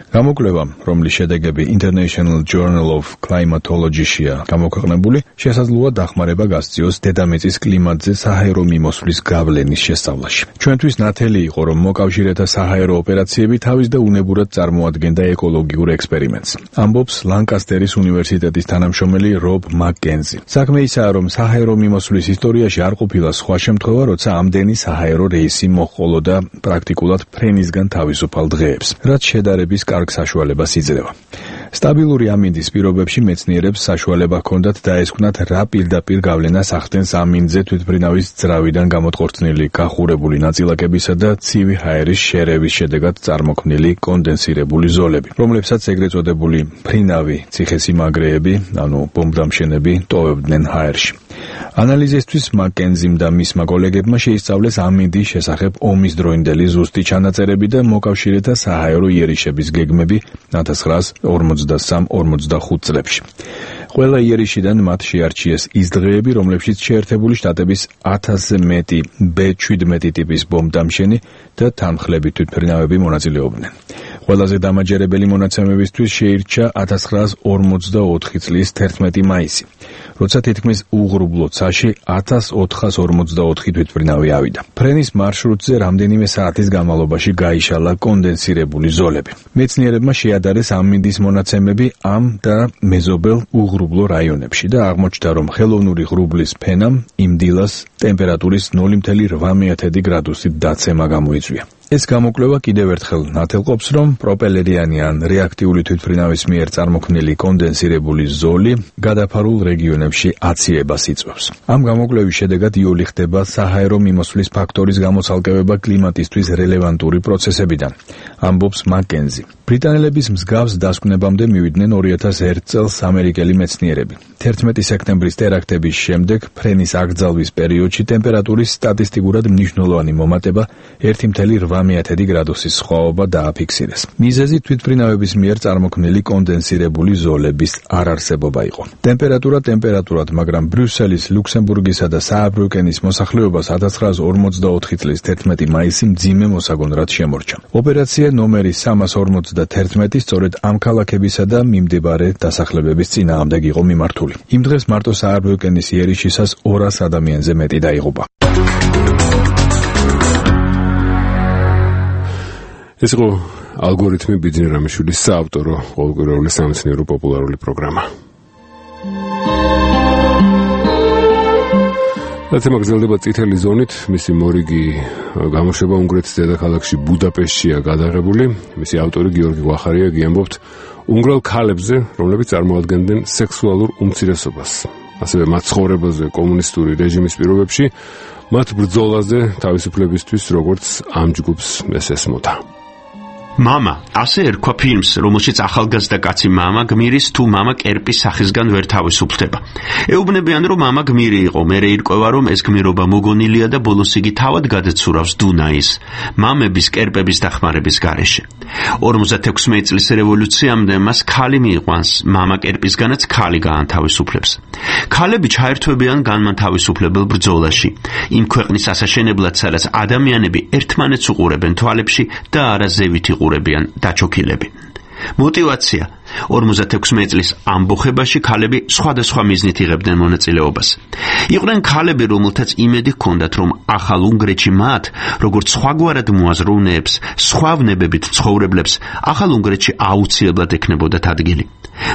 [SPEAKER 17] გამოკვლევა, რომლის შედეგები International Journal of Climatology-შია გამოქვეყნებული, შესაძლოა დახმარება გასწიოს დედამიწის კლიმატზე საჰაერო მიმოსვლის გავლენის შესწავლაში. ჩვენთვის ნათელი იყო, რომ მოკავშირეთა საჰაერო ოპერაციები თავის და უნებურად წარმოადგენდა ეკოლოგიურ ექსპერიმენტს. ამბობს ლანკასტერის უნივერსიტეტის თანამშრომელი რობ მაკკენზი. საქმე ისაა, რომ საჰაერო მიმოსვლის ისტორიაში არ ყოფილა სხვა შემთხვევა, როცა ამდენი საჰაერო რეისი მოჰყოლოდა პრაქტიკულად ფრენისგან თავისუფალ დღეებს, რაც შედარების კარგ საშუალებას იძლევა. სტაბილური ამინდის პირობებში მეცნიერებს საშუალება ჰქონდათ დაესკვნათ, რა პირდაპირ გავლენას ახდენს ამინდზე თვითმფრინავის ძრავიდან გამოთყორწნილი გახურებული ნაწილაკებისა და ცივი ჰაერის შერევის შედეგად წარმოქმნილი კონდენსირებული ზოლები, რომლებსაც ეგრეთ წოდებული მფრინავი ციხესიმაგრეები, ანუ ბომბდამშენები ტოვებდნენ ჰაერში. ანალიზისთვის მაკკენზიმ და მისმა კოლეგებმა შეისწავლეს ამინდის შესახებ ომის დროინდელი ზუსტი ჩანაწერები და მოკავშირეთა საჰაერო იერიშების გეგმები ათას ცხრაას ორმოცდასამ ორმოცდახუთ წლებში. ყველა იერიშიდან მათ შეარჩიეს ის დღეები, რომლებშიც შეერთებული შტატების ათასზე მეტი ბე შვიდმეტი ტიპის ბომბდამშენი და თანმხლები თვითმფრინავები მონაწილეობდნენ. ყველაზე დამაჯერებელი მონაცემებისთვის შეირჩა ათას ცხრაას ორმოცდაოთხი წლის თერთმეტი მაისი, როცა თითქმის უღრუბლო ცაში ათას ოთხას ორმოცდაოთხი თვითმფრინავი ავიდა. ფრენის მარშრუტზე რამდენიმე საათის განმავლობაში გაიშალა კონდენსირებული ზოლები. მეცნიერებმა შეადარეს ამინდის მონაცემები ამ და მეზობელ უღრუბლო რაიონებში და აღმოჩნდა, რომ ხელოვნური ღრუბლის ფენამ იმ დილას ტემპერატურის ნული ფاصლე ოთხ გრადუსით დაცემა გამოიწვია. ეს გამოკვლევა კიდევ ერთხელ ნათელყოფს, რომ პროპელერიანი ან რეაქტიული თვითმფრინავის მიერ წარმოქმნილი კონდენსირებული ზოლი გადაფარულ რეგიონებში აცივებას იწვევს. ამ გამოკვლევის შედეგად იოლი ხდება საჰაერო მიმოსვლის ფაქტორის გამოცალკევება კლიმატისთვის რელევანტური პროცესებიდან, ამბობს მაკკენზი. ბრიტანელების მსგავს დასკვნებამდე მივიდნენ ორი ათას ერთ წელს ამერიკელი მეცნიერები. თერთმეტი სექტემბრის ტერაქტების შემდეგ ფრენის აკრძალვის პერიოდში ტემპერატურის სტატისტიკურად მნიშვნელოვანი მომატება ერთი ფاصლე ოთხ გრადუსის სხვაობა დააფიქსირეს. მიზეზი თვითმფრინავების მიერ წარმოქმნილი კონდენსირებული ზოლების არარსებობა იყო. ტემპერატურა ტემპერატურად, მაგრამ ბრიუსელის, ლუქსემბურგისა და სააბრიუკენის მოსახლეობას ათას ცხრაას ორმოცდაოთხი წლის თერთმეტი მაისი მძიმე მოსაგონრად შემორჩა. ოპერაცია ნომერი სამას ორმოცდათერთმეტი სწორედ ამ ქალაქებისა და მიმდებარე დასახლებების წინააღმდეგ იყო მიმართული. იმ დღეს მარტო სააბრიუკენის იერიშისას ორას ადამიანზე მეტი დაიღუპა.
[SPEAKER 1] ეს იყო ალგორითმი ბიძინა რამიშვილის საავტორო ყოველკვირეული სამეცნიერო პოპულარული პროგრამა. დათემა გრძელდება წითელი ზონით, მისი მორიგი გამოშვება უნგრეთის დედაქალაქში ბუდაპეშტშია გადაღებული. მისი ავტორი გიორგი ვახარიაგი ამბობთ უნგრელ ქალებზე, რომლებიც წარმოადგენდნენ სექსუალურ უმცირესობას. ასევე მათ ცხოვრებაზე კომუნისტური რეჟიმის პირობებში, მათ ბრძოლაზე თავისუფლებისთვის, როგორც ამ ჯგუფს ეს ესმოდა.
[SPEAKER 18] მამა, ასე ერქვა ფილმს, რომელშიც ახალგაზრდა კაცი მამა გმირის თუ მამა კერპის სახისგან ვერ თავისუფლდება. ეუბნებიან, რომ მამა გმირი იყო, მერე ირკვევა, რომ ეს გმირობა მოგონილია და ბოლოს იგი თავად გადაცურავს დუნაის, მამების კერპების დახმარების გარეშე. ორმოცდათექვსმეტი წლის რევოლუციამდე მას ქალი მიიყვანს, მამა კერპისგანაც ქალი გაანთავისუფლებს. ქალები ჩაერთვებიან განმანთავისუფლებელ ბრძოლაში, იმ ქვეყნის ასაშენებლად, სადაც ადამიანები ერთმანეთს უყურებენ თვალებში და არა ზევით იყურებიან დაჩოქილები. მოტივაცია ორმოცდათექვსმეტი წლის ამბოხებაში ქალები სხვადასხვა მიზნით იღებდნენ მონაწილეობას. იყვნენ ქალები, რომელთაც იმედი ჰქონდათ, რომ ახალ უნგრეთში მათ, როგორც სხვაგვარად მოაზროვნეებს, სხვა ვნებებით ცხოვრებლებს, ახალ უნგრეთში აუცილებლად ექნებოდათ ადგილი.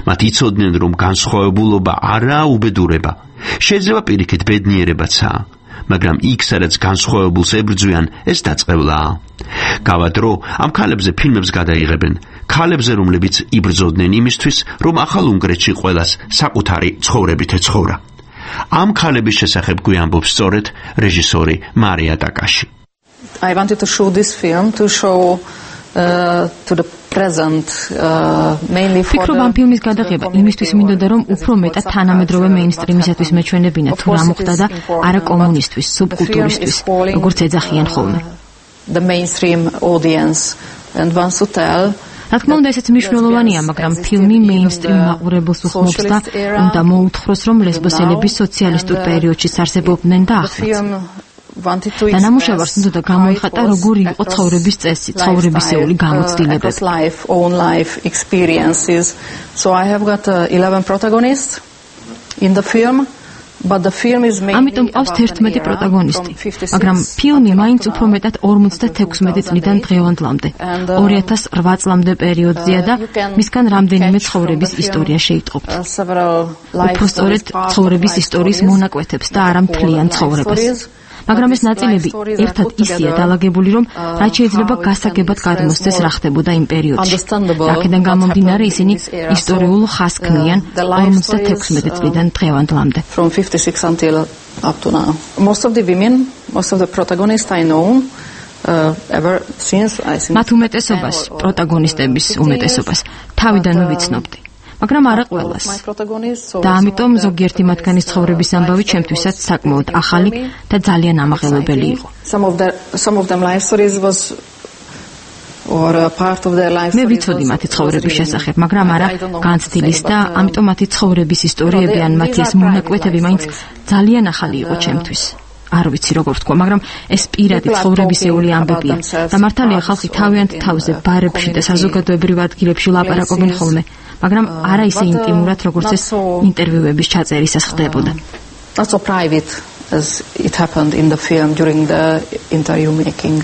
[SPEAKER 18] მათ იცოდნენ, რომ განსხვავებულობა არაა უბედურება, შეიძლება პირიქით ბედნიერებაცაა. მაგრამ იქ, სადაც განსხვავებულს ებრძვიან, ეს დაწყევლაა. გავა დრო ამ ქალებზე ფილმებს გადაიღებენ, ქალებზე, რომლებიც იბრძოდნენ იმისთვის, რომ ახალ უნგრეთში ყველას საკუთარი ცხოვრებით ეცხოვრა. ამ ქალების შესახებ გვიამბობს სწორედ რეჟისორი მარია ტაკაში.
[SPEAKER 19] I wanted to show this film to show uh, to the present uh, mainly for
[SPEAKER 20] ფიქრობ ამ ფილმის გადაღება იმისთვის მინდოდა, რომ უფრო მეტად თანამედროვე მეინსტრიმისათვის მეჩვენებინათ რა მოხდა და არა კომუნისტვის, სუბკულტურისთვის, როგორც ეძახიან ხოლმე.
[SPEAKER 19] The mainstream audience and wants to tell
[SPEAKER 20] რა თქმა უნდა, ესეც მნიშვნელოვანია, მაგრამ ფილმი მეინსტრიმ მაყურებელს უხმობს და უნდა მოუთხროს, რომ ლესბოსელები სოციალისტურ პერიოდში არსებობდნენ და ახლაც. და ნამუშევარს უნდა გამოიხატა როგორი იყო ცხოვრების წესი, ცხოვრებისეული გამოცდილებები.
[SPEAKER 19] So I have got uh, eleven protagonists in the film.
[SPEAKER 20] ამიტომ ყავს თერთმეტი პროტაგონისტი, მაგრამ ფილმი მაინც უფრო მეტად ორმოცდათექვსმეტი წლიდან დღევანდლამდე, ორი ათას ოთხ წლამდე პერიოდზეა და მისგან რამდენიმე ცხოვრების ისტორია შეიტყობთ. უფრო სწორედ ცხოვრების ისტორიის მონაკვეთებს და არა მთლიან ცხოვრებას. მაგრამ ეს ნაწილები ერთად ისეა დალაგებული, რომ რაც შეიძლება გასაგებად გადმოსცეს რა ხდებოდა იმ პერიოდში. აქედან გამომდინარე ისინი ისტორიულ ხაზს ქმნიან ორმოცდათექვსმეტი წლიდან დღევანდლამდე.
[SPEAKER 19] From fifty-six until up to now. Most of the women, most of the protagonists I know uh, ever since I think
[SPEAKER 20] მათ უმეტესობას, პროტაგონისტების უმეტესობას თავიდან ვიცნობდი. მაგრამ არა ყველას. და ამიტომ ზოგიერთი მათგანის ცხოვრების ამბავი ჩემთვისაც საკმაოდ ახალი და ძალიან ამაღელებელი იყო.
[SPEAKER 19] Some of the some of them life stories was or a part of their life.
[SPEAKER 20] მე ვიცოდი მათი ცხოვრების შესახებ, მაგრამ არა განცდილის და ამიტომ მათი ცხოვრების ისტორიები ან მათი ეს მონაკვეთები მაინც ძალიან ახალი იყო ჩემთვის. არ ვიცი როგორ ვთქვა, მაგრამ ეს პირადი ცხოვრებისეული ამბებია და მართალია ხალხი თავიანთ თავზე ბარებში და საზოგადოებრივ ადგილებში ლაპარაკობენ ხოლმე, მაგრამ არა ისე ინტიმურად, როგორც ეს ინტერვიუების ჩაწერისას ხდებოდა.
[SPEAKER 19] Not so private as it happened in the film during the interview making.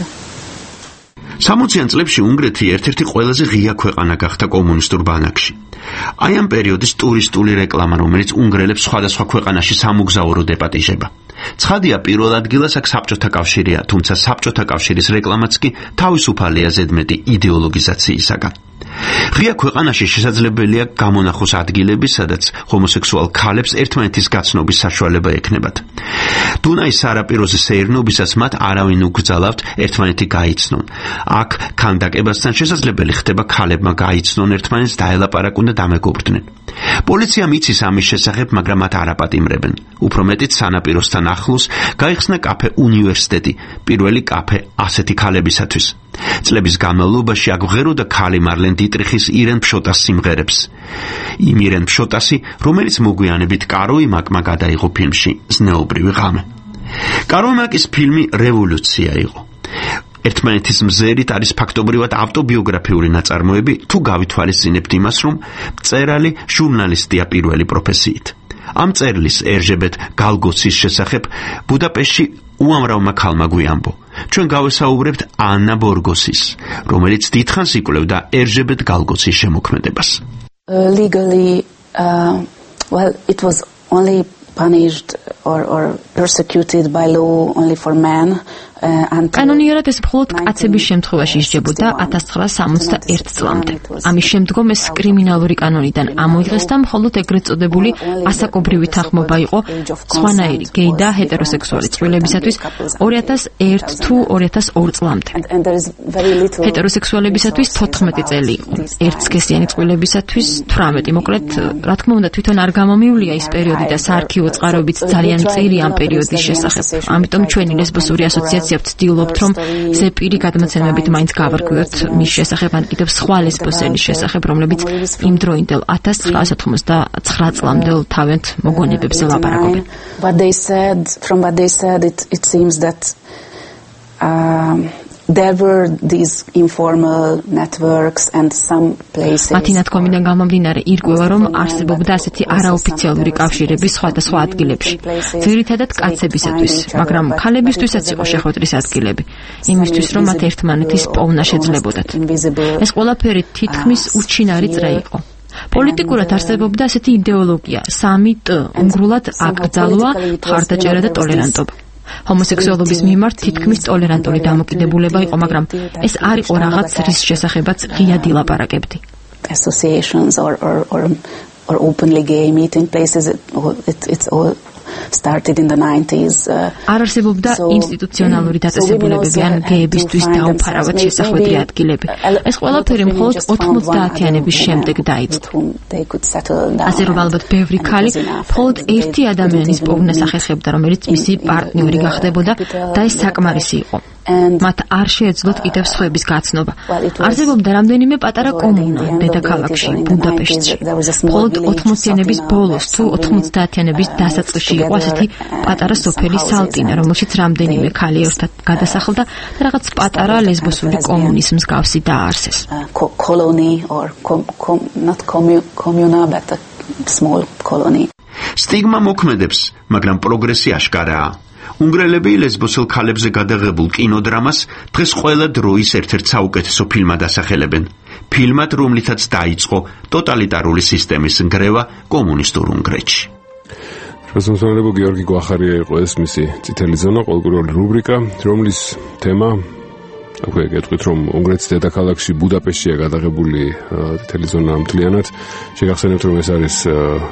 [SPEAKER 18] სამოციან წლებში უნგრეთი ერთ-ერთი ყველაზე ღია ქვეყანა გახდა კომუნისტურ ბანაკში. აი ამ პერიოდის ტურისტული რეკლამა, რომელიც უნგრელებს სხვადასხვა ქვეყანაში სამოგზაურო დეპატიჟება. ცხადია, პირველ ადგილას აქ საბჭოთა კავშირია, თუმცა საბჭოთა კავშირის რეკლამაც კი თავისუფალია ზედმეტი იდეოლოგიზაციისაგან. ღია ქვეყანაში შესაძლებელია გამონახოს ადგილები, სადაც ჰომოსექსუალ ქალებს ერთმანეთის გაცნობის საშუალება ექნებათ. დუნაის სარაპიროზე სეირნობისას მათ არავინ უგზალავთ ერთმანეთი გაიცნონ. აქ ქანდაკებასთან შესაძლებელი ხდება ქალებმა გაიცნონ ერთმანეთს, დაელაპარაკონ და დამეგობრდნენ. პოლიციამ იცის ამის შესახებ, მაგრამ მათ არ აპატიმრებენ. უფრო მეტიც სანაპიროსთან ახლოს გაიხსნა კაფე უნივერსიტეტი, პირველი კაფე ასეთი ქალებისათვის. წლების განმავლობაში აქ ვღეროდა ქალი მარლენ დიტრიხის ირენ ფშოტას სიმღერებს. იმ ირენ ფშოტასი, რომელიც მოგვიანებით კაროი მაკმა გადაიღო ფილმში ზნეობრივი ღამე. კაროი მაკის ფილმი რევოლუცია იყო. ერთმანეთის მზერით არის ფაქტობრივად ავტობიოგრაფიული ნაწარმოები, თუ გავითვალისწინებთ იმას, რომ მწერალი ჟურნალისტია პირველი პროფესიით. ამ წერლის ერჟებეთ გალგოცის შესახებ ბუდაპეშტში უამრავმა ქალმა გვიამბო. ჩვენ გავესაუბრებთ ანა ბორგოსის, რომელიც დიდხანს იკვლევდა ერჟებეთ გალგოცის შემოქმედებას.
[SPEAKER 21] Uh, legally, uh, well, it was only punished or, or persecuted by law only for men.
[SPEAKER 20] კანონიერად ეს მხოლოდ კაცების შემთხვევაში ისჯებოდა ათას ცხრაასი სამოცდაერთი წლამდე. ამის შემდგომ ეს კრიმინალური კანონიდან ამოიღეს და მხოლოდ ეგრეთ წოდებული ასაკობრივი თანხმობა იყო სხვანაირი გეი და ჰეტეროსექსუალი წყვილებისათვის ორი ათას ერთი თუ ორი ათას ორი წლამდე. ჰეტეროსექსუალებისათვის თოთხმეტი წელი იყო. ერთსქესიანი წყვილებისათვის თვრამეტი. მოკლედ, რა თქმა უნდა, თვითონ არ გამომივლია ის პერიოდი და საარქივო წყაროებიც ძალიან მწირი ამ პერიოდის შესახებ. ამიტომ ჩვენი ლესბოსური ასოციაცია ვცდილობთ, რომ ზეპირი გადმოცემებით მაინც გავარკვიოთ მის შესახებ, ან კიდევ სხვა ლესბოსელის შესახებ, რომლებიც იმ დროინდელ ათას ცხრაასი ოცდათვრამეტ წლამდელ თავიანთ მოგონებებზე ლაპარაკობენ.
[SPEAKER 21] But they said, from what they said, it, it seems that um, there were these informal networks and some places.
[SPEAKER 20] მათი ნათქვამიდან გამომდინარე ირკვევა, რომ არსებობდა ასეთი არაოფიციალური კავშირები სხვადასხვა ადგილებში, ძირითადად კაცებისათვის, მაგრამ ქალებისთვისაც იყო შეხვედრის ადგილები, იმისთვის, რომ მათ ერთმანეთის პოვნა შეძლებოდათ. ეს ყველაფერი თითქმის უჩინარი წრე იყო. პოლიტიკურად არსებობდა ასეთი იდეოლოგია, სამი ტ, უნგრულად აკრძალვა, მხარდაჭერა და ტოლერანტობა. ჰომოსექსუალობის მიმართ თითქმის ტოლერანტული დამოკიდებულება იყო, მაგრამ ეს არ იყო რაღაც, რის შესახებაც ღიად ილაპარაკებდი.
[SPEAKER 21] Associations or or or, or openly gay meeting places, it, it, it's all started in the nineties.
[SPEAKER 20] არ არსებობდა ინსტიტუციონალური დაწესებულებები ან გეებისთვის დაუფარავად შესახვედრი ადგილები. ეს ყველაფერი მხოლოდ ოთხმოცდაათიანების შემდეგ დაიწყო. ასე რომ ალბათ ბევრი ქალი მხოლოდ ერთი ადამიანის პოვნას ახერხებდა, რომელიც მისი პარტნიორი გახდებოდა და ეს საკმარისი იყო. მათ არ შეეძლოთ კიდევ სხვების გაცნობა. არსებობდა რამდენიმე პატარა კომუნა დედაქალაქში, ბუდაპეშტში. მხოლოდ ოთხმოციანების ბოლოს თუ ოთხმოცდაათიანების დასაწყისში იყო ასეთი პატარა სოფელი სალტინა, რომელშიც რამდენიმე ქალი ერთად გადასახლდა და რაღაც პატარა ლესბოსური კომუნის მსგავსი დააარსეს.
[SPEAKER 21] colony or com, com, not communa but a small colony.
[SPEAKER 18] სტიგმა მოქმედებს, მაგრამ პროგრესი აშკარაა. უნგრელები ლესბოსელ ქალებზე გადაღებულ კინოდრამას დღეს ყველა დროის ერთ-ერთ საუკეთესო ფილმად ასახელებენ. ფილმად, რომლითაც დაიწყო ტოტალიტარული სისტემის ნგრევა კომუნისტურ უნგრეთში.
[SPEAKER 1] პროფესორი გიორგი გვახარია იყო ეს მისი წითელი ზონა, ყოველკვირეული რუბრიკა, რომლის თემა აქვე გეტყვით, რომ უნგრეთის დედაქალაქში ბუდაპეშტშია გადაღებული წითელი ზონა მთლიანად. შეგახსენებთ, რომ ეს არის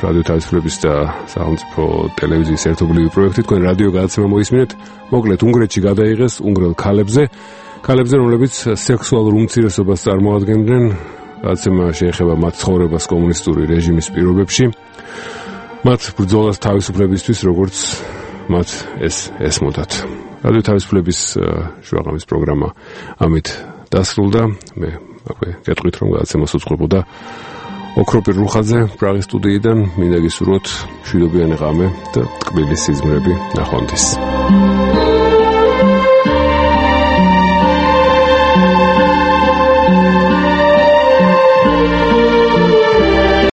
[SPEAKER 1] რადიო თავისუფლების და სახელმწიფო ტელევიზიის ერთობლივი პროექტი. თქვენ რადიო გადაცემა მოისმინეთ. მოკლედ, უნგრეთში გადაიღეს უნგრელ ქალებზე, ქალებზე, რომლებიც სექსუალურ უმცირესობას წარმოადგენდნენ. გადაცემა შეეხება მათ ცხოვრებას კომუნისტური რეჟიმის პირობებში. მათ ბრძოლას თავისუფლებისთვის, როგორც მათ ეს ესმოდათ. რადიო თავისუფლების შუაღამის პროგრამა ამით დასრულდა. მე აქვე გეტყვით, რომ გადაცემას უწყობოდა ოქროპირ რუხაძე პრაღის სტუდიიდან. მინდა გისურვოთ მშვიდობიანი ღამე და ტკბილი სიზმრები ნახვამდის.